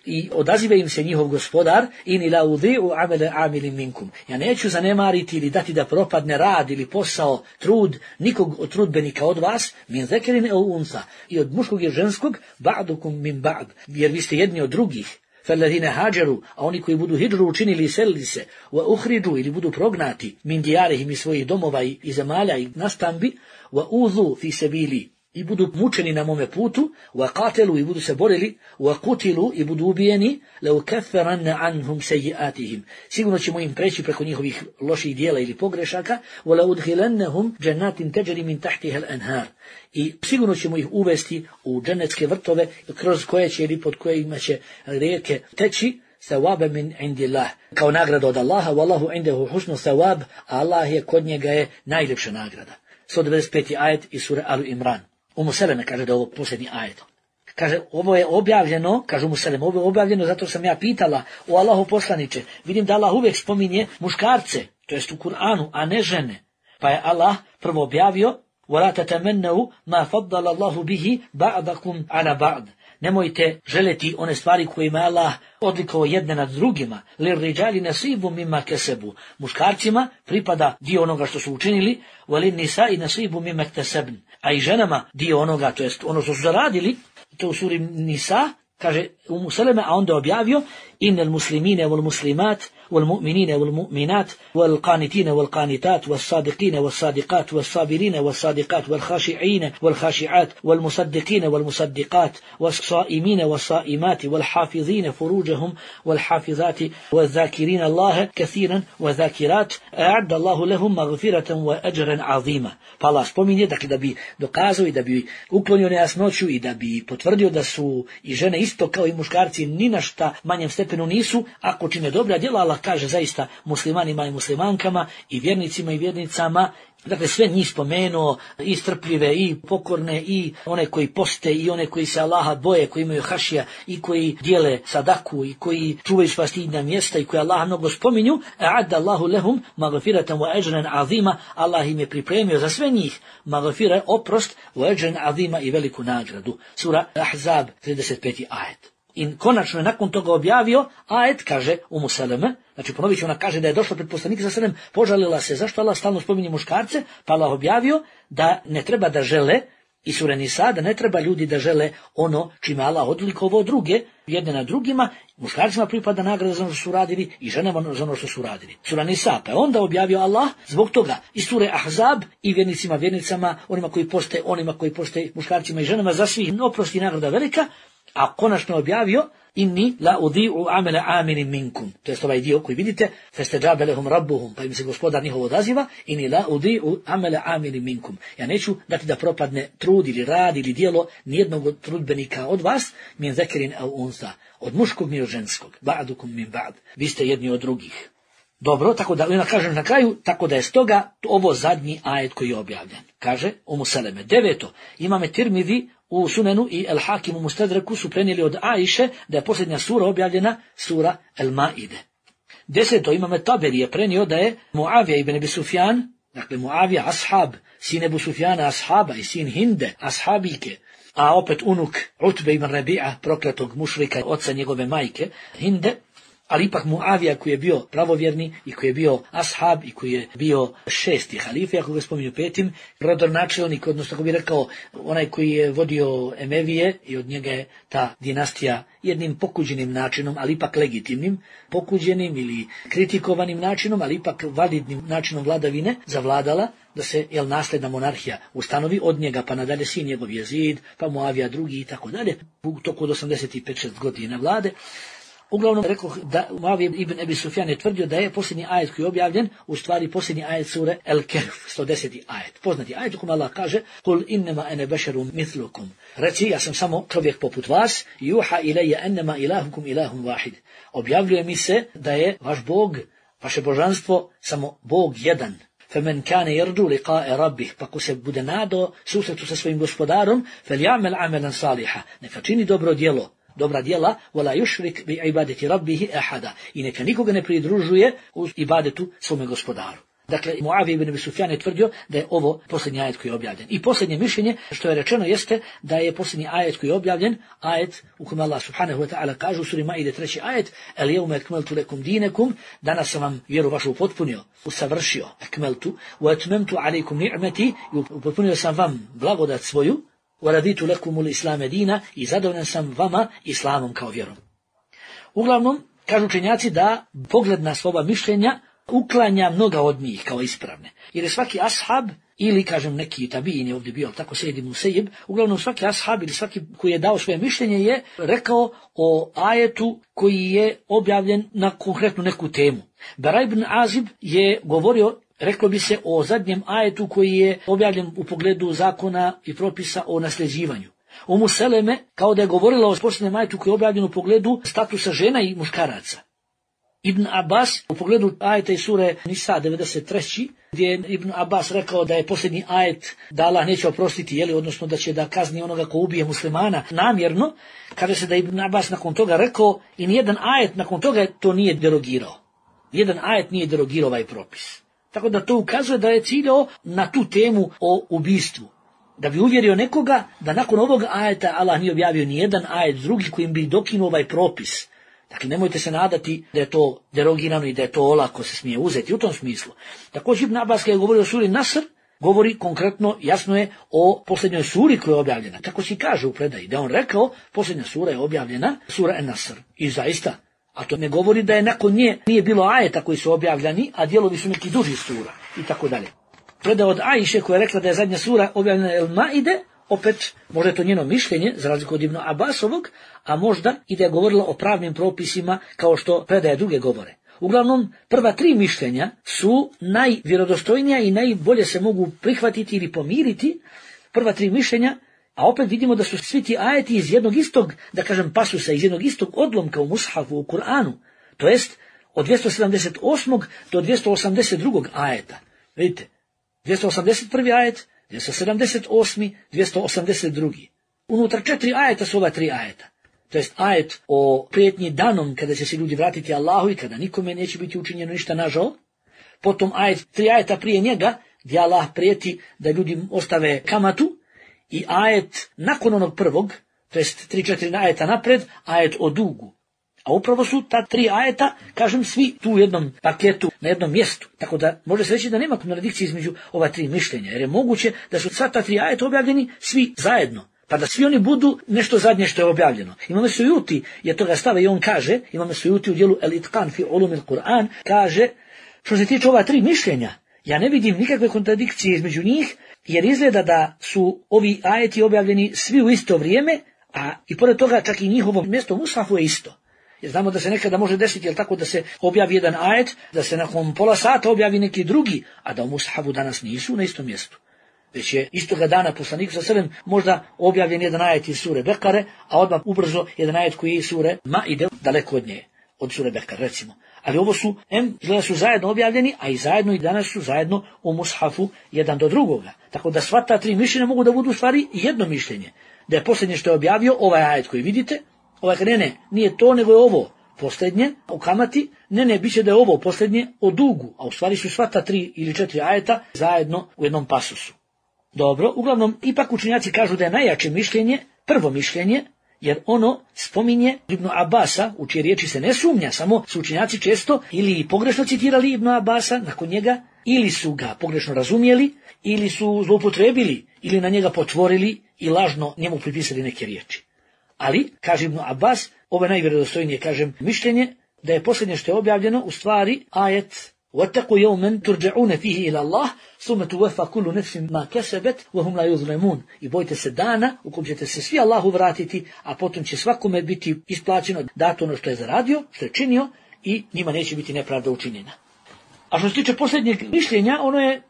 I odaziva im se njihov gospodar, in la udhi'u amala amilin minkum. Ja neću zanemariti ili dati da propadne rad ili posao, trud nikog od trudbenika od vas, min zekerin el unsa, i od muškog i ženskog, ba'dukum min ba'd, jer vi ste jedni od drugih. فَالَّذِينَ هَاجَرُوا, a oni koji budu hidžru učinili i selili se, وَأُخْرِجُوا, ili budu prognati, min dijarihim iz svojih domova i zemalja i nastambi, وَأُوذُوا فِي سَبِيلِ, i budu mučeni na mome putu, وَقَاتَلُوا, i budu se borili, وَقُتِلُوا, i budu ubijeni, لَوْكَفَّرَنَّ عَنْهُمْ سَيِّئَاتِهِمْ, sigurno ćemo im preći preko njihovih loših dijela ili pogrešaka, وَلَوْدْخِلَنَّهُمْ جَنَّاتٍ تَجْرِي مِنْ تَحْتِهَا الْأَنْهَارِ, i sigurno ćemo ih uvesti u dženecke vrtove, kroz koje će ili pod kojima će rijeke teći, thawaba min indillah, kao nagrada od Allaha, wallahu indahu husnu thawab, a Allah je kod njega je najljepša nagrada. 195. ajet iz sure Al Imran. Umu Seleme kaže da je ovo posljednji ajet. Kaže, ovo je objavljeno, kaže Umu Seleme, ovo je objavljeno zato sam ja pitala, o Allahu poslaniče, vidim da Allah uvijek spominje muškarce, to jest u Kur'anu, a ne žene. Pa je Allah prvo objavio, وَلَا تَتَمَنَّوْا مَا فَضَّلَ اللَّهُ بِهِ بَعْضَكُمْ عَلَى بَعْض. Nemojte želeti one stvari kojima je Allah odlikovao jedne nad drugima. لِلْرِجَالِ نَصِيبٌ مِمَّا كَسَبُوا. Muškarcima pripada dio onoga što su učinili, وَلِلنِّسَاءِ نَصِيبٌ مِمَّا اكْتَسَبْنَ. A i ženama dio onoga, to jest ono što su zaradili, to u suri Nisa, kaže Umu Seleme, a onda objavio, إِنَّ الْمُسْلِمِينَ وَالْمُسْلِمَاتِ والمؤمنين والمؤمنات والقانتين والقانتات والصادقين والصادقات والصابرين والصادقات والخاشعين والخاشعات والمصدقين والمصدقات والصائمين والصائمات والحافظين فروجهم والحافظات والذاكرين الله كثيرا وذاكرات أعد الله لهم مغفرة وأجرا عظيما. Pa Allah spominje, dakle, da bi dokazao i da bi uklonio nejasnoću i da bi potvrdio da su i žene isto kao i muškarci ni na šta manjem stepenu nisu, ako čine dobra djela. Allah kaže zaista muslimanima i muslimankama i vjernicima i vjernicama, dakle sve njih spomenuo, i strpljive i pokorne i one koji poste i one koji se Allaha boje, koji imaju hašija i koji dijele sadaku i koji čuvaju sva stidna mjesta i koji Allaha mnogo spominju, a'adda Allahu lehum magfiratan wa ajran azima, Allah im je pripremio za sve njih magfira, oprost, wa ajran azima, i veliku nagradu. Sura Ahzab, 35. ajet. I konačno je nakon toga objavio ajet, kaže Umu Seleme, znači ponovit ću, ona kaže da je došla pred poslanika sa selem, požalila se zašto Allah stalno spominje muškarce, pa Allah objavio da ne treba da žele, i sura Nisa, da ne treba ljudi da žele ono čime Allah odlikovao druge, jedne na drugima, muškarcima pripada nagrada za ono što su radili i ženama za ono što su radili. Sura Nisa, pa je onda objavio Allah zbog toga i sure Ahzab i vjernicima, vjernicama, onima koji poste, muškarcima i ženama, za svih oprosti nagrada velika, a konačno objavio inni la udhi'u amala amilin minkum. To je ovaj dio koji vidite, fastajabe lahum rabbuhum, pa im se gospodar njihov odaziva, inni la udhi'u amala amilin minkum. Ja neću dati da propadne trud ili rad ili djelo nijednog od trudbenika od vas, min zekerin au unsa, od muškog ni od ženskog, ba'dukum min ba'd. Vi ste jedni od drugih. Dobro, tako da, ona kaže na kraju, tako da je stoga ovo zadnji ajet koji je objavljen. Kaže Umu Seleme. 9. Imame Tirmidhi u Sunenu i El Hakim u Mustadreku su prenijeli od Ajše da je posljednja sura objavljena, sura El Maide. 10. Imame Taberi je prenio da je Muavija ibn Abi Sufjan, dakle Muavija ashab, sin Ebu Sufjana ashaba i sin Hinde ashabike, a opet unuk Utbe ibn Rabi'a, prokletog mušrika, oca njegove majke, Hinde, ali ipak Muavija koji je bio pravovjerni i koji je bio ashab i koji je bio 6. halife, ako ga spominju 5. rodonačelnik, odnosno kako bi rekao, onaj koji je vodio Emevije i od njega je ta dinastija jednim pokuđenim načinom, ali ipak legitimnim, pokuđenim ili kritikovanim načinom, ali ipak validnim načinom vladavine zavladala, da se nasljedna monarhija ustanovi, od njega pa nadalje sin njegov Jezid, pa Muavija drugi i tako dalje, u toku od 85-6 godina vlade. Uglavnom rekao da Muavija ibn Abi Sufjan je tvrdio da je posljednji ajet koji je objavljen, u stvari posljednji ajet sure El Kehf, 110. ajet. Poznati ajet u kojem Allah kaže: "Kul innama ana basharun mithlukum." Reci, ja sam samo čovjek poput vas, juha ilayya annama ilahukum ilahun wahid. Objavljuje mi se da je vaš Bog, vaše božanstvo samo Bog jedan. فَمَنْ كَانَ يَرْجُو لِقَاءَ رَبِّهِ, pa ko se bude nadao susretu sa svojim gospodarom, فَلْيَعْمَلْ عَمَلًا صَالِحًا, neka čini dobra djela, وَلَا يُشْرِكْ بِعِبَادَةِ رَبِّهِ أَحَدًا, i neka nikoga ne pridružuje u ibadetu svome gospodaru. Dakle, Muavija ibn Abi Sufjan je tvrdio da je ovo posljednji ajet koji je objavljen. I posljednje mišljenje što je rečeno jeste da je posljednji ajet koji je objavljen, ajet u kojem Allah subhanahu wa ta'ala kaže u suri Maide 3. ajet: "El yevme akmaltu lekum dinakum", danas sam vam vjeru vašu upotpunio, usavršio, akmaltu, wa atmamtu alaykum ni'mati, i upotpunio sam vam blagodat svoju, wa raditu lekumul islame dina, i zadovoljan sam vama islamom kao vjerom. Uglavnom, kažu učenjaci da pogled na ova mišljenja uklanja mnoga od njih kao ispravne. Jer je svaki ashab, ili kažem neki tabiin je ovdje bio, tako Sejid ibn Museib, uglavnom svaki ashab ili svaki koji je dao svoje mišljenje je rekao o ajetu koji je objavljen na konkretnu neku temu. Bara ibn Azib je govorio, reklo bi se, o zadnjem ajetu koji je objavljen u pogledu zakona i propisa o nasljeđivanju. Umu Seleme kao da je govorila o posljednjem ajetu koji je objavljen u pogledu statusa žena i muškaraca. Ibn Abbas u pogledu ajeta iz sure Nisa 93. gdje je Ibn Abbas rekao da je posljednji ajet da Allah neće oprostiti, odnosno da će da kazni onoga ko ubije muslimana namjerno, kaže se da je Ibn Abbas nakon toga rekao i nijedan ajet nakon toga to nije derogirao. Nijedan ajet nije derogirao ovaj propis. Tako da to ukazuje da je ciljao na tu temu o ubistvu. Da bi uvjerio nekoga da nakon ovog ajeta Allah nije objavio nijedan ajet drugi kojim bi dokinuo ovaj propis. Dakle, nemojte se nadati da je to derogirano i da je to olako se smije uzeti u tom smislu. Također Ibn Abbas kada je govorio o suri Nasr, govori konkretno, jasno je, o posljednjoj suri koja je objavljena. Tako se kaže u predaji, da on rekao, posljednja sura je objavljena, sura En-Nasr. I zaista, a to ne govori da je nakon nje nije bilo ajeta koji su objavljeni, a dijelovi su neki duži sura i tako dalje. Predaja od Ajše koja je rekla da je zadnja sura objavljena El-Maide, opet, možda je to njeno mišljenje, za razliku od Ibn Abbasovog, a možda i da je govorila o pravnim propisima kao što predaje druge govore. Uglavnom, prva tri mišljenja su najvjerodostojnija i najbolje se mogu prihvatiti ili pomiriti. Prva tri mišljenja, a opet vidimo da su svi ti ajeti iz jednog istog, da kažem pasusa, iz jednog istog odlomka u Mushafu, u Kur'anu, to jest od 278. do 282. ajeta. Vidite, 281. ajet, 278. 282. Unutar 4 ajeta su ova 3 ajeta. To jest ajet o prijetnji danom kada će se ljudi vratiti Allahu i kada nikome neće biti učinjeno ništa nažao. Potom ajet 3 ajeta prije njega gdje Allah prijeti da ljudi ostave kamatu. I ajet nakon onog prvog, to jest 3-4 ajeta napred, ajet o dugu. A upravo su ta 3 ajeta, kažem, svi tu u jednom paketu, na jednom mjestu. Tako da može se reći da nema kontradikcije između ova 3 mišljenja, jer je moguće da su sva ta 3 ajeta objavljeni svi zajedno, pa da svi oni budu nešto zadnje što je objavljeno. Imamo Sujuti, jer toga stava i on kaže, imamo Sujuti u dijelu El-Itqan fi ulumil Kur'an, kaže, što se tiče ova 3 mišljenja, ja ne vidim nikakve kontradikcije između njih, jer izgleda da su ovi ajeti objavljeni svi u isto vrijeme, a i pored toga čak i njihovo mjesto u Mushafu je isto. Jer znamo da se nekada može desiti, tako da se objavi jedan ajet, da se nakon pola sata objavi neki drugi, a da u Mushafu danas nisu na istom mjestu. Već je istoga dana poslanik sa selem možda objavljen jedan ajet iz sure Bekare, a odmah ubrzo jedan ajet koji je iz sure Maide, daleko od nje, od sure Bekare recimo. Ali ovo su, izgleda su zajedno objavljeni, a i zajedno i danas su zajedno u Mushafu jedan do drugoga. Tako da sva ta 3 mišljenja mogu da budu u stvari jedno mišljenje. Da je posljednje što je objavio ovaj ajet koji vidite, nije to, nego je ovo posljednje o kamati, bit će da je ovo posljednje o dugu, a u stvari su sva ta 3 ili 4 ajeta zajedno u jednom pasusu. Dobro, uglavnom, ipak učenjaci kažu da je najjače mišljenje, prvo mišljenje, jer ono spominje Ibn Abasa, u čije riječi se ne sumnja, samo su učenjaci često ili pogrešno citirali Ibn Abasa nakon njega, ili su ga pogrešno razumjeli, ili su zloupotrebili, ili na njega potvorili i lažno njemu pripisali neke riječi. Ali, kaže Ibn Abbas, ovo je najvjerodostojnije, kažem, mišljenje, da je posljednje što je objavljeno u stvari ajet وَاتَّقُوا يَوْمًا تُرْجَعُونَ فِيهِ إِلَى اللَّهِ ثُمَّ تُوَفَّى كُلُّ نَفْسٍ مَا كَسَبَتْ وَهُمْ لَا يُظْلَمُونَ. I bojte se dana u kojem ćete se svi Allahu vratiti, a potom će svakome biti isplaćeno dato ono što je zaradio, što je činio, i njima neće biti nepravda učinjena. A što se tiče posljednjeg mišljenja, ono je,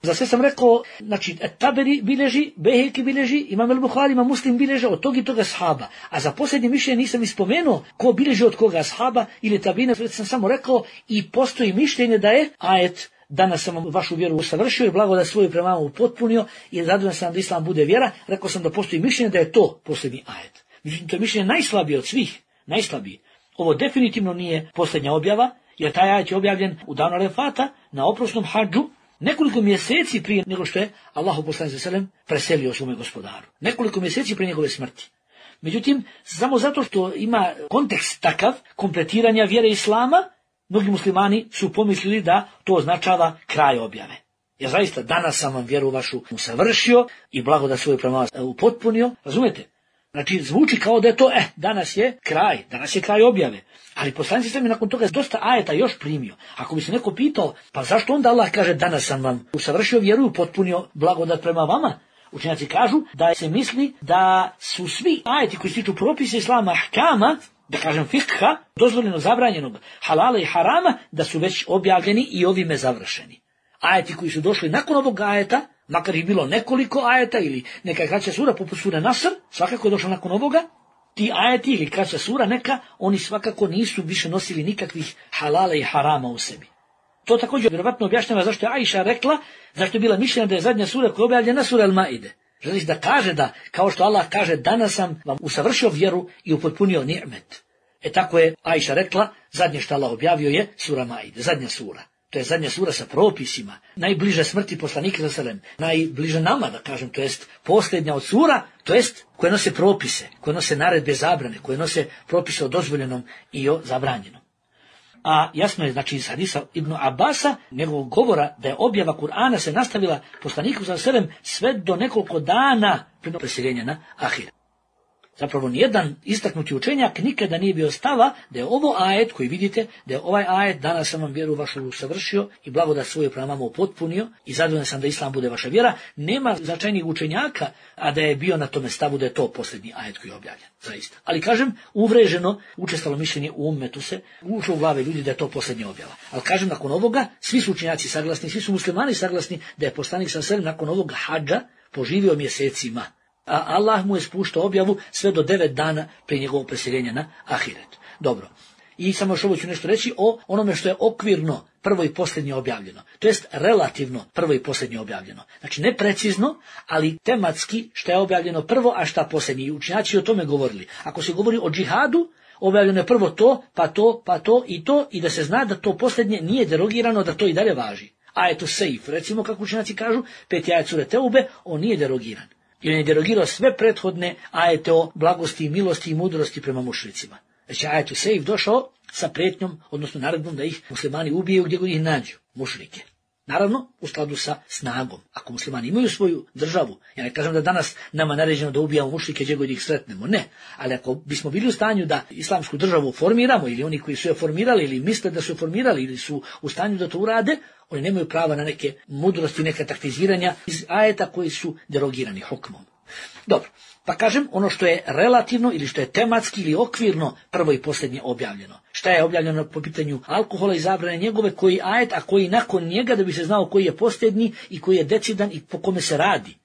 za sve sam rekao, znači, Taberi bileži, Beheki bileži, Imam el-Buhari, Imam Muslim bileže od tog i toga ashaba. A za posljednje mišljenje nisam ispomenuo ko bileži od koga ashaba ili tabina, sam samo rekao, i postoji mišljenje da je ajet, danas sam vašu vjeru usavršio i blagodat svoju prema vama upotpunio i zadovoljan sam da Islam bude vjera. Rekao sam da postoji mišljenje da je to posljednji ajet. Međutim, to je mišljenje najslabije od svih, najslabije. Ovo definitivno nije posljednja objava, jer taj ajet je objavljen u danu Arefata na oprosnom hadžu, nekoliko mjeseci prije nego što je Allahu poslanik sallallahu alejhi ve sellem preselio svome gospodaru. Nekoliko mjeseci prije njegove smrti. Međutim, samo zato što ima kontekst takav kompletiranja vjere Islama, mnogi muslimani su pomislili da to označava kraj objave. Jer zaista danas sam vam vjeru vašu usavršio i blagodat svoju prema vas upotpunio. Razumete? Znači, zvuči kao da je to, danas je kraj objave. Ali poslanik sallallahu alejhi ve sellem nakon toga dosta ajeta još primio. Ako bi se neko pitao, pa zašto onda Allah kaže danas sam vam usavršio vjeru i upotpunio blagodat prema vama? Učenjaci kažu da se misli da su svi ajeti koji se tiču propisa Islama, ahkama, da kažem fikha, dozvoljeno zabranjenog, halala i harama, da su već objavljeni i ovime završeni. Ajeti koji su došli nakon ovog ajeta, makar ih bilo nekoliko ajeta ili neka kraća sura poput sure Nasr, svakako je došla nakon ovoga, ti ajeti ili kraća sura neka, oni svakako nisu više nosili nikakvih halala i harama u sebi. To također vjerovatno objašnjava zašto je Ajša rekla, zašto je bila mišljena da je zadnja sura koja je objavljena sura Al-Maide. Želi da kaže da, kao što Allah kaže, danas sam vam usavršio vjeru i upotpunio ni'met. Tako je Ajša rekla, zadnje što Allah objavio je sura Maide, zadnja sura. To je zadnja sura sa propisima, najbliža smrti poslanika sallallahu alejhi ve sellem, najbliža nama, da kažem, to jest posljednja od sura, to jest koje nose propise, koje nose naredbe zabrane, koje nose propise o dozvoljenom i o zabranjenom. A jasno je, znači, iz hadisa Ibn Abasa, njegovog govora da je objava Kur'ana se nastavila poslaniku sallallahu alejhi ve sellem sve do nekoliko dana prije preseljenja na ahiret. Zapravo nijedan istaknuti učenjak nikada nije bio stava da je ovo ajet koji vidite, da je ovaj ajet danas sam vam vjeru vašu usavršio i blagodat svoju prema vama upotpunio i zadovoljan sam da Islam bude vaša vjera. Nema značajnijih učenjaka, a da je bio na tome stavu da je to posljednji ajet koji je objavljen. Zaista. Ali kažem, uvreženo, učestalo mišljenje u ummetu se, ušlo u glave ljudi da je to posljednja objava. Ali kažem, nakon ovoga, svi su učenjaci saglasni, svi su muslimani saglasni da je poslanik sallallahu alejhi ve sellem nakon ovoga hadža poživio mjesecima. A Allah mu je spuštao objavu sve do 9 dana prije njegovog preseljenja na ahiret. Dobro. I samo još ovo ću nešto reći o onome što je okvirno prvo i posljednje objavljeno. To jest relativno prvo i posljednje objavljeno. Znači ne precizno, ali tematski što je objavljeno prvo, a šta posljednje. I učenjaci o tome govorili. Ako se govori o džihadu, objavljeno je prvo to, pa to i da se zna da to posljednje nije derogirano, da to i dalje važi. Ajetu Sejf, recimo kako učenjaci kažu, 5. ajet sure Teube, on nije derogiran. Jer je derogirao sve prethodne ajete o blagosti, milosti i mudrosti prema mušricima. Znači ajetu Sejf došao sa prijetnjom, odnosno naredbom da ih muslimani ubiju gdje god ih nađu, mušrike. Naravno, u skladu sa snagom. Ako muslimani imaju svoju državu, ja ne kažem da danas nama naređeno da ubijamo mušrike gdje god ih sretnemo, ne. Ali ako bismo bili u stanju da islamsku državu formiramo, ili oni koji su je formirali, ili misle da su je formirali, ili su u stanju da to urade, oni nemaju prava na neke mudrosti, neka taktiziranja iz ajeta koji su derogirani hukmom. Dobro, pa kažem ono što je relativno ili što je tematski ili okvirno prvo i posljednje objavljeno. Šta je objavljeno po pitanju alkohola i zabrane njegove, koji ajet, a koji nakon njega, da bi se znao koji je posljednji i koji je decidan i po kome se radi.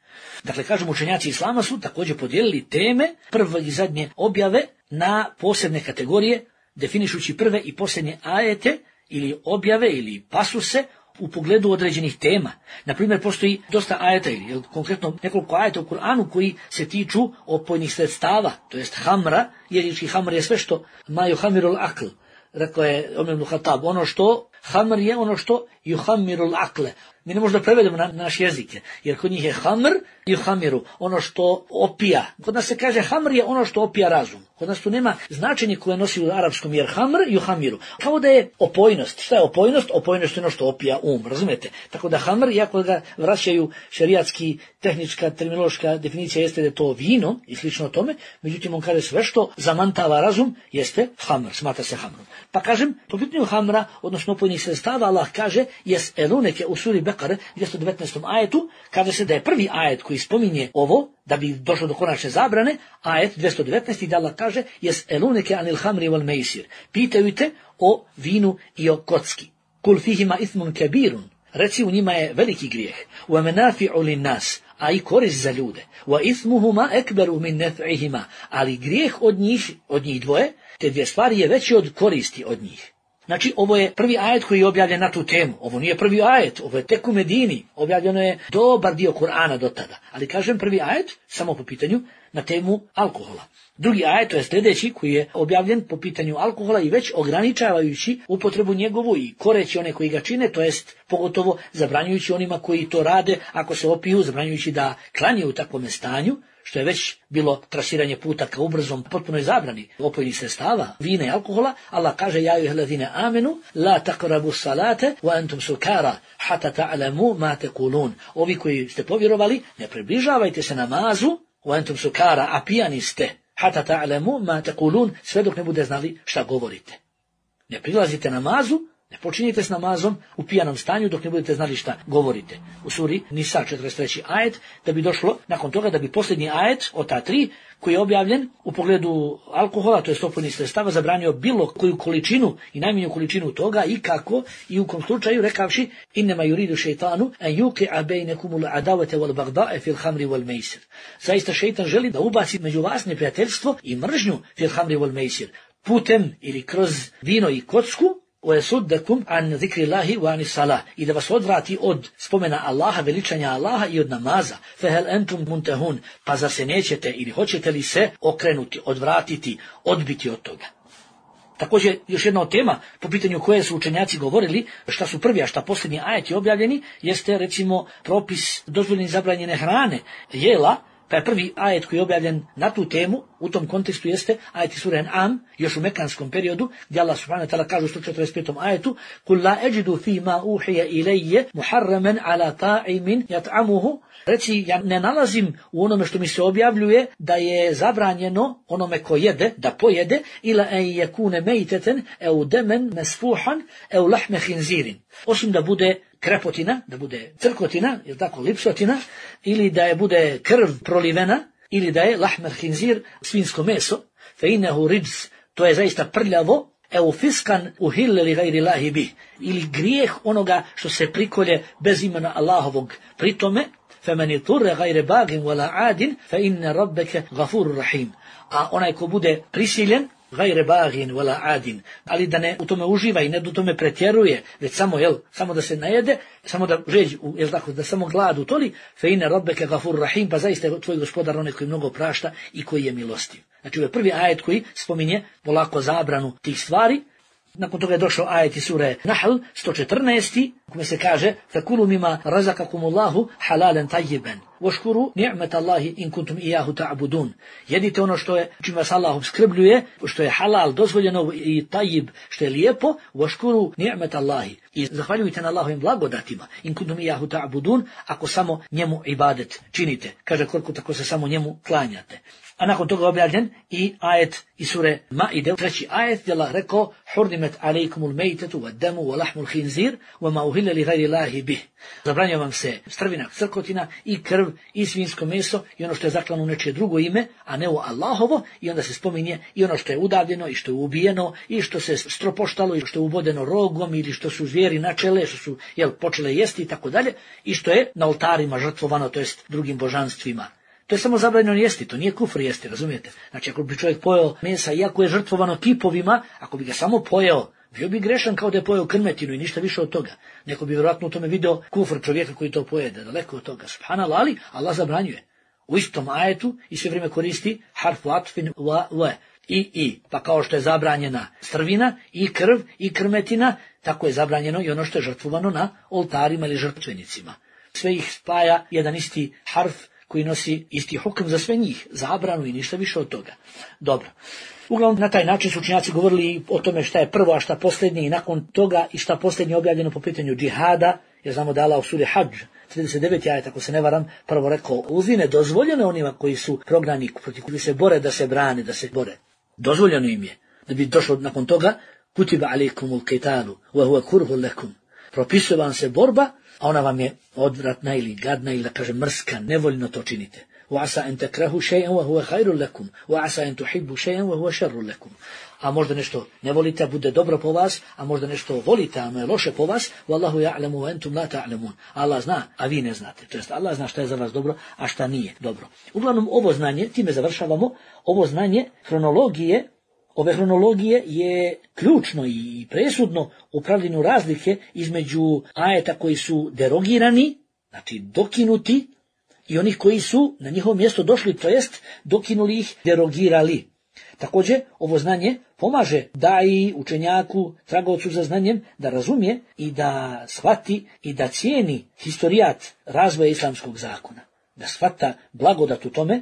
Dakle, kažem, učenjaci Islama su također podijelili teme prve i zadnje objave na posebne kategorije, definišući prve i posljednje ajete ili objave ili pasuse u pogledu određenih tema. Naprimjer, postoji dosta ajeta ili konkretno nekoliko ajeta u Kur'anu koji se tiču opojnih sredstava, to jest hamra, jer hamr je sve što ma yuhamirul akl. Rekao je Omer ibn Khattab, ono što hamr je ono što yuhamirul akle. Mi ne možemo da prevedemo na naš jezik, jer kod njih je hamr i yuhamiru, ono što opija. Kod nas se kaže hamr je ono što opija razum. Kod nas tu nema značenje koje nosi u arapskom, jer hamr i yuhamiru. Kao da je opojnost. Šta je opojnost? Opojnost je ono što opija razumete? Tako da hamr, iako ga vraćaju šerijatski, tehnička, terminološka definicija jeste da je to vino i slično tome, međutim on kaže sve što zamantava razum jeste hamr, smatra se hamrom. Pa kažem, po pitanju hamra, odnosno opojnih sredstava, Allah kaže, jes eluneke u suri Bekare, 219. ajetu, kaže se da je prvi ajet koji spominje ovo, da bi došlo do konačne zabrane, ajet 219. da Allah kaže, jes eluneke anil hamri wal meisir. Pitaju te o vinu i o kocki. Kul fihima ithmun kebirun. Reci, u njima je veliki grijeh. Wa menafi'u lin nas, a i korist za ljude. Wa ithmuhuma ekberu min nef'ihima. Ali grijeh od njih dvoje, te dvije stvari je veći od koristi od njih. Znači, ovo je prvi ajet koji je objavljen na tu temu. Ovo nije prvi ajet, ovo je tek u Medini. Objavljeno je dobar dio Kur'ana do tada. Ali kažem prvi ajet, samo po pitanju na temu alkohola. Drugi ajet, to je sljedeći, koji je objavljen po pitanju alkohola i već ograničavajući upotrebu njegovu i koreći one koji ga čine, to jest pogotovo zabranjujući onima koji to rade ako se opiju, zabranjujući da klanjaju u takvom stanju, što je već bilo trasiranje puta ka ubrzom potpunoj zabrani opojnih sredstava, vina i alkohola. Allah kaže: ja ayyuhallazina amenu la taqrabu salate wa antum sukara hatta ta'lamu ma taqulun. Ovi koji ste povjerovali, ne približavajte se namazu wa antum sukara, a pijani ste, hatta ta'lamu ma taqulun, sve dok ne bude znali šta govorite. Ne prilazite namazu, ne počinjete s namazom u pijanom stanju dok ne budete znali šta govorite. U suri Nisa 43. ajet, da bi došlo nakon toga da bi posljednji ajet od ta 3 koji je objavljen u pogledu alkohola, to je opojnih sredstava, zabranio bilo koju količinu i najmanju količinu toga i kako i u kom slučaju rekavši: innema yuridu šejtanu an yuqi'a bainakumul adawata wal baghdha'a fil khamri wal maisir. Zaista šejtan želi da ubaci među vas neprijateljstvo i mržnju fil khamri wal maisir, putem ili kroz vino i kocku, وَيَسُدَّكُمْ عَنْ ذِكْرِ اللَّهِ وَعَنِ الصَّلَاةِ, i da vas odvrati od spomena Allaha, veličanja Allaha i od namaza. فَهَلْ أَنْتُمْ مُنْتَهُونَ, pa zar se nećete ili hoćete li se okrenuti, odvratiti, odbiti od toga. Također, još jedna od tema po pitanju koje su učenjaci govorili, šta su prvi, a šta posljednji ajeti objavljeni, jeste recimo propis dozvoljene zabranjene hrane, jela. Pa je prvi ajet koji je objavljen na tu temu, u tom kontekstu jeste ajet sure An'am, još u mekanskom periodu, gdje Allah subhanahu wa ta'ala kaže u 145. ajetu: "Kul la ajidu fi ma uhiya ilayya muharraman ala ta'imin yat'amuhu." Reci, ja ne nalazim u onome što mi se objavljuje da je zabranjeno onome ko jede, da pojede, ila an yakuna maytatan aw daman masfuhan aw lahma khinzirin, osim da bude krepotina, da bude crkotina, ili tako, lipsotina, ili da je bude krv prolivena, ili da je lahmer hinzir, svinsko meso, fe innehu rijz, to je zaista prljavo, eu fiskan uhille li gajri lahi bih, ili grijeh onoga što se prikolje bez imena Allahovog. Pritome, fe meni turre gajre bagin wala adin, fe inne rabbeke gafuru rahim. A onaj ko bude prisiljen, gajre bagin wala adin, ali da ne u tome uživa i ne u tome pretjeruje, već samo, samo da se najede, samo da žeđ, tako, da samo glad utoli, fe inne rabbeke gafur rahim, pa zaista je tvoj gospodar onaj koji mnogo prašta i koji je milostiv. Znači, ovo je prvi ajet koji spominje polako zabranu tih stvari. Nakon toga je došao ajet iz sure Nahl 114. kome se kaže: "Fakulu mima razakakumullahu halalan tayyiban washkuru ni'matallahi in kuntum iyyahu ta'budun." Jedite ono što je, čim vas Allah opskrbljuje, što je halal, dozvoljeno, i tayyib, što je lijepo, washkuru ni'matallahi, i zahvaljujte na Allahovim blagodatima, in kuntum iyyahu ta'budun, ako samo njemu ibadet činite. Kaže koliko tako se samo njemu klanjate. A nakon toga objavljen i ajet iz sure Maide, 3. ajet, gdje Allah rekao: "Hurrimet alejkumul mejtetu wa damu wa lahmul khinzir wa ma uhilla li gajri Allahi bih." Zabranjuje vam se strvina, crkotina i krv i svinsko meso i ono što je zaklano u nečije drugo ime, a ne u Allahovo, i onda se spominje i ono što je udavljeno i što je ubijeno i što se stropoštalo i što je ubodeno rogom ili što su zvijeri načele, što su počele jesti i tako dalje, i što je na oltarima žrtvovano, to jest drugim božanstvima. To je samo zabranjeno jesti, to nije kufr jesti, razumijete? Znači, ako bi čovjek pojeo mesa, iako je žrtvovano kipovima, ako bi ga samo pojeo, bio bi grešan kao da je pojeo krmetinu i ništa više od toga. Neko bi vjerojatno u tome video kufr čovjeka koji to pojede, daleko od toga. Subhanallah, ali Allah zabranjuje. U istom ajetu i sve vrijeme koristi harfu atfin wa i. Pa kao što je zabranjena strvina i krv i krmetina, tako je zabranjeno i ono što je žrtvovano na oltarima ili žrtvenicima. Sve ih spaja jedan isti harf koji nosi isti hukm za sve njih, zabranu i ništa više od toga. Dobro. Uglavnom, na taj način su učenjaci govorili o tome šta je prvo, a šta posljednje, i nakon toga i šta posljednje objavljeno po pitanju džihada, jer znamo da Allah u suri Hadž, 39. ajet, ako se ne varam, prvo rekao: "Uzine dozvoljeno onima koji su prognani, protiv koji se bore, da se brane, da se bore." Dozvoljeno im je. Da bi došlo nakon toga: "Kutiba alejkumul qitalu wa huwa kurhun lakum." Propisuje vam se borba, a ona vam je odvratna ili gadna ili, da kažem, mrska, nevoljno to činite. وَعَسَا أَن تَكْرَهُوا شَيْئًا وَهُوَ خَيْرٌ لَكُمْ وَعَسَا أَن تُحِبُّوا شَيْئًا وَهُوَ شَرٌ لَكُمْ. A možda nešto ne volite, a bude dobro po vas, a možda nešto volite, a ono je loše po vas. وَاللَّهُ يَعْلَمُ وَأَنْتُمْ لَا تَعْلَمُونَ. Allah zna, a vi ne znate. To jest Allah zna šta je za vas dobro, a šta nije dobro. Uglavnom, ovo znanje, time završavamo, ovo znanje hronologije, ove hronologije je ključno i presudno u pravljenju razlike između ajeta koji su derogirani, znači dokinuti, i onih koji su na njihovo mjesto došli, to jest dokinuli ih, derogirali. Također, ovo znanje pomaže daji, učenjaku, tragovcu za znanjem da razumije i da shvati i da cijeni historijat razvoja islamskog zakona. Da shvata blagodat u tome,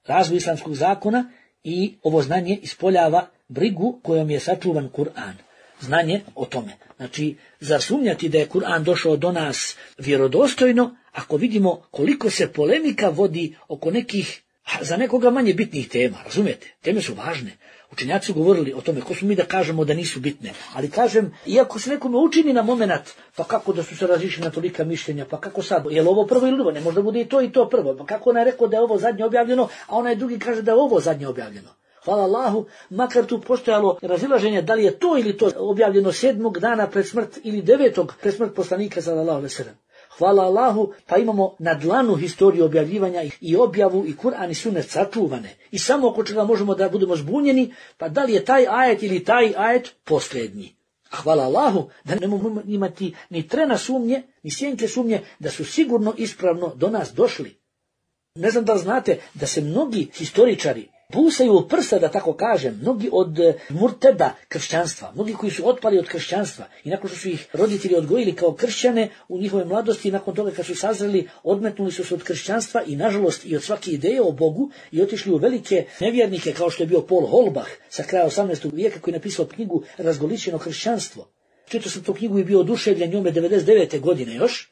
razvoj islamskog zakona, i ovo znanje ispoljava brigu kojom je sačuvan Kur'an. Znanje o tome. Znači, zar sumnjati da je Kur'an došao do nas vjerodostojno, ako vidimo koliko se polemika vodi oko nekih, za nekoga manje bitnih tema, razumijete? Teme su važne. Učenjaci su govorili o tome, ko smo mi da kažemo da nisu bitne. Ali kažem, iako se nekome učini na moment, pa kako da su se razišli na tolika mišljenja, pa kako sad, je li ovo prvo ili drugo? Ne može da bude i to prvo. Pa kako ona je rekao da je ovo zadnje objavljeno, a onaj drugi kaže da je ovo zadnje objavljeno. Hvala Allahu, makar tu postojalo razilaženje da li je to ili to objavljeno 7. dana pred smrt ili 9. pred smrt poslanika sallallahu alejhi ve sellem. Hvala Allahu, pa imamo na dlanu historiju objavljivanja i objavu i Kur'an i sunnet sačuvane. I samo oko čega možemo da budemo zbunjeni, pa da li je taj ajet ili taj ajet posljednji. A hvala Allahu da ne možemo imati ni trena sumnje, ni sjenke sumnje da su sigurno ispravno do nas došli. Ne znam da li znate da se mnogi historičari busaju u prsa, da tako kažem, mnogi od murteda kršćanstva, mnogi koji su otpali od kršćanstva i nakon što su ih roditelji odgojili kao kršćane u njihove mladosti, nakon toga kad su sazreli, odmetnuli su se od kršćanstva i nažalost i od svake ideje o Bogu i otišli u velike nevjernike kao što je bio Paul Holbach sa kraja 18. vijeka koji je napisao knjigu Razgolićeno kršćanstvo. Čitao sam tu knjigu i bio oduševljen njome 99. godine još.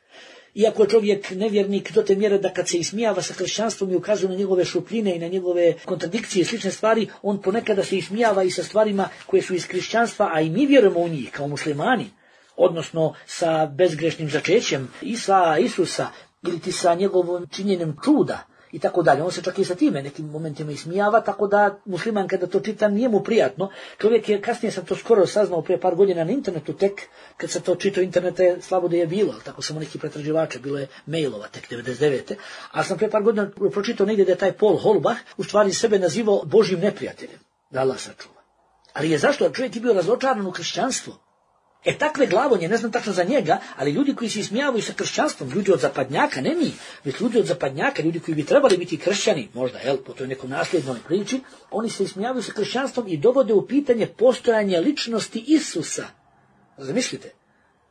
Iako je čovjek nevjernik do te mjere da kad se ismijava sa kršćanstvom i ukazuje na njegove šupljine i na njegove kontradikcije i slične stvari, on ponekada se ismijava i sa stvarima koje su iz kršćanstva, a i mi vjerujemo u njih kao muslimani, odnosno sa bezgrešnim začećem Isusa ili ti sa njegovom činjenjem čuda i tako dalje. On se čak i sa time nekim momentima ismijava, tako da musliman kada to čita nije mu prijatno. Čovjek je, kasnije sam to skoro saznao prije par godina na internetu, tek kad sam to čitao, interneta je slabo da je bilo, ali tako samo neki pretraživača, bilo je mailova tek 99. A sam prije par godina pročitao negdje da je taj Paul Holbach u stvari sebe nazivao Božjim neprijateljem, da Allah sačuva. Ali je zašto? Čovjek je bio razočaran u kršćanstvo. Takve glavonje, ne znam tačno za njega, ali ljudi koji se ismijavaju sa kršćanstvom, ljudi od zapadnjaka, ne mi, već ljudi od zapadnjaka, ljudi koji bi trebali biti kršćani, možda, po toj nekom nasljednoj priči, oni se ismijavaju sa kršćanstvom i dovode u pitanje postojanje ličnosti Isusa. Zamislite,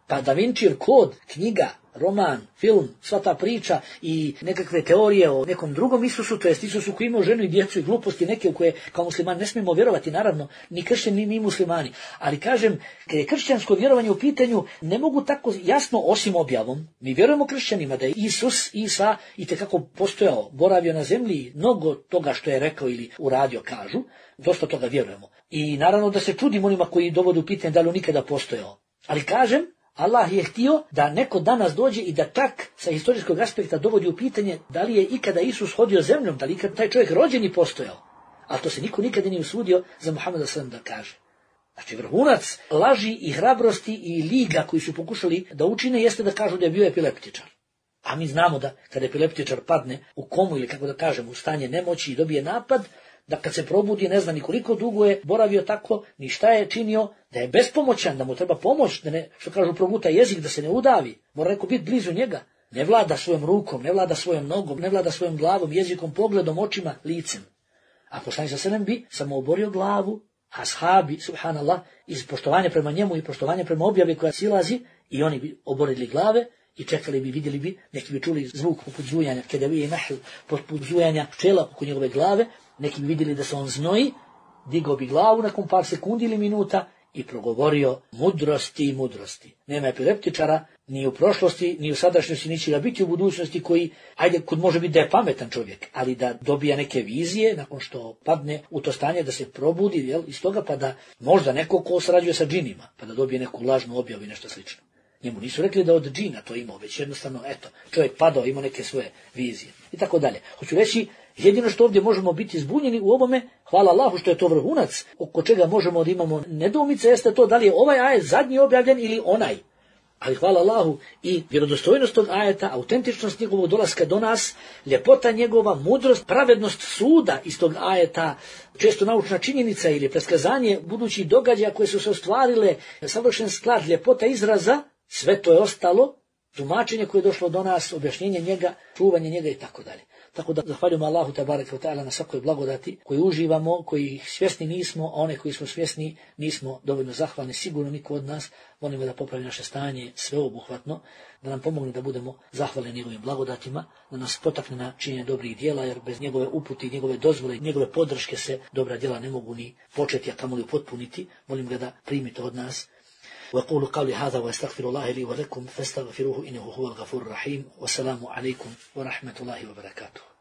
pa Da Vincijev kod, knjiga, roman, film, sva ta priča i nekakve teorije o nekom drugom Isusu, to jest Isusu koji imao ženu i djecu i gluposti neke u koje kao musliman ne smijemo vjerovati, naravno, ni kršćani ni muslimani. Ali kažem, kad je kršćansko vjerovanje u pitanju, ne mogu tako jasno osim objavom. Mi vjerujemo kršćanima da je Isa itekako postojao, boravio na zemlji, mnogo toga što je rekao ili uradio kažu, dosta toga vjerujemo. I naravno da se čudimo onima koji dovode u pitanje da li on nikada postojao. Ali kažem, Allah je htio da neko danas dođe i da tak sa historijskog aspekta dovodi u pitanje da li je ikada Isus hodio zemljom, da li ikada taj čovjek rođen i postojao. A to se niko nikada nije usudio za Muhameda sallam da kaže. Znači vrhunac laži i hrabrosti i liga koji su pokušali da učine jeste da kažu da je bio epileptičar. A mi znamo da kada epileptičar padne u komu ili kako da kažem u stanje nemoći i dobije napad, da kad se probudi ne zna ni koliko dugo je boravio tako, ni šta je činio, da je bespomoćan, da mu treba pomoć, da ne, što kažu, proguta jezik, da se ne udavi, mora neko biti blizu njega. Ne vlada svojom rukom, ne vlada svojom nogom, ne vlada svojom glavom, jezikom, pogledom, očima, licem. A poslanik sallallahu alejhi ve sellem bi samo oborio glavu, a ashabi, subhanallah, iz poštovanja prema njemu i poštovanja prema objavi koja silazi, i oni bi oborili glave i čekali bi, vidjeli bi, neki bi čuli zvuk poput zujanja, kada bi je nahl, poput zujanja pčela oko njegove glave, neki bi vidjeli da se on znoji, digao bi glavu nakon par sekundi ili minuta i progovorio mudrosti i mudrosti. Nema epileptičara ni u prošlosti, ni u sadašnjosti, ni će ga biti u budućnosti koji, kud može biti da je pametan čovjek, ali da dobija neke vizije nakon što padne u to stanje, da se probudi iz toga, pa da možda neko ko sarađuje sa džinima, pa da dobije neku lažnu objavu i nešto slično. Njemu nisu rekli da od džina to imao, već jednostavno, čovjek padao, imao neke svoje vizije i tako dalje. Hoću reći, jedino što ovdje možemo biti zbunjeni u ovome, hvala Allahu što je to vrhunac, oko čega možemo da imamo nedoumice, jeste to da li je ovaj ajet zadnji objavljen ili onaj. Ali hvala Allahu i vjerodostojnost tog ajeta, autentičnost njegovog dolaska do nas, ljepota njegova, mudrost, pravednost suda iz tog ajeta, često naučna činjenica ili preskazanje budućih događaja koje su se ostvarile, savršen sklad, ljepota izraza, sve to je ostalo tumačenje koje je došlo do nas, objašnjenje njega, čuvanje njega i tako dalje. Tako da zahvaljujemo Allahu tebareke ve taala na svakoj blagodati koju uživamo, koji svjesni nismo, a one koji smo svjesni nismo dovoljno zahvalni, sigurno niko od nas. Molimo da popravi naše stanje sveobuhvatno, da nam pomogne da budemo zahvalni njegovim blagodatima, da nas potakne na činjenje dobrih djela, jer bez njegove uputi, njegove dozvole, njegove podrške se dobra djela ne mogu ni početi, a kamoli upotpuniti. Molim ga da primite od nas. وأقول قولي هذا وأستغفر الله لي ولكم فاستغفروه إنه هو الغفور الرحيم والسلام عليكم ورحمة الله وبركاته.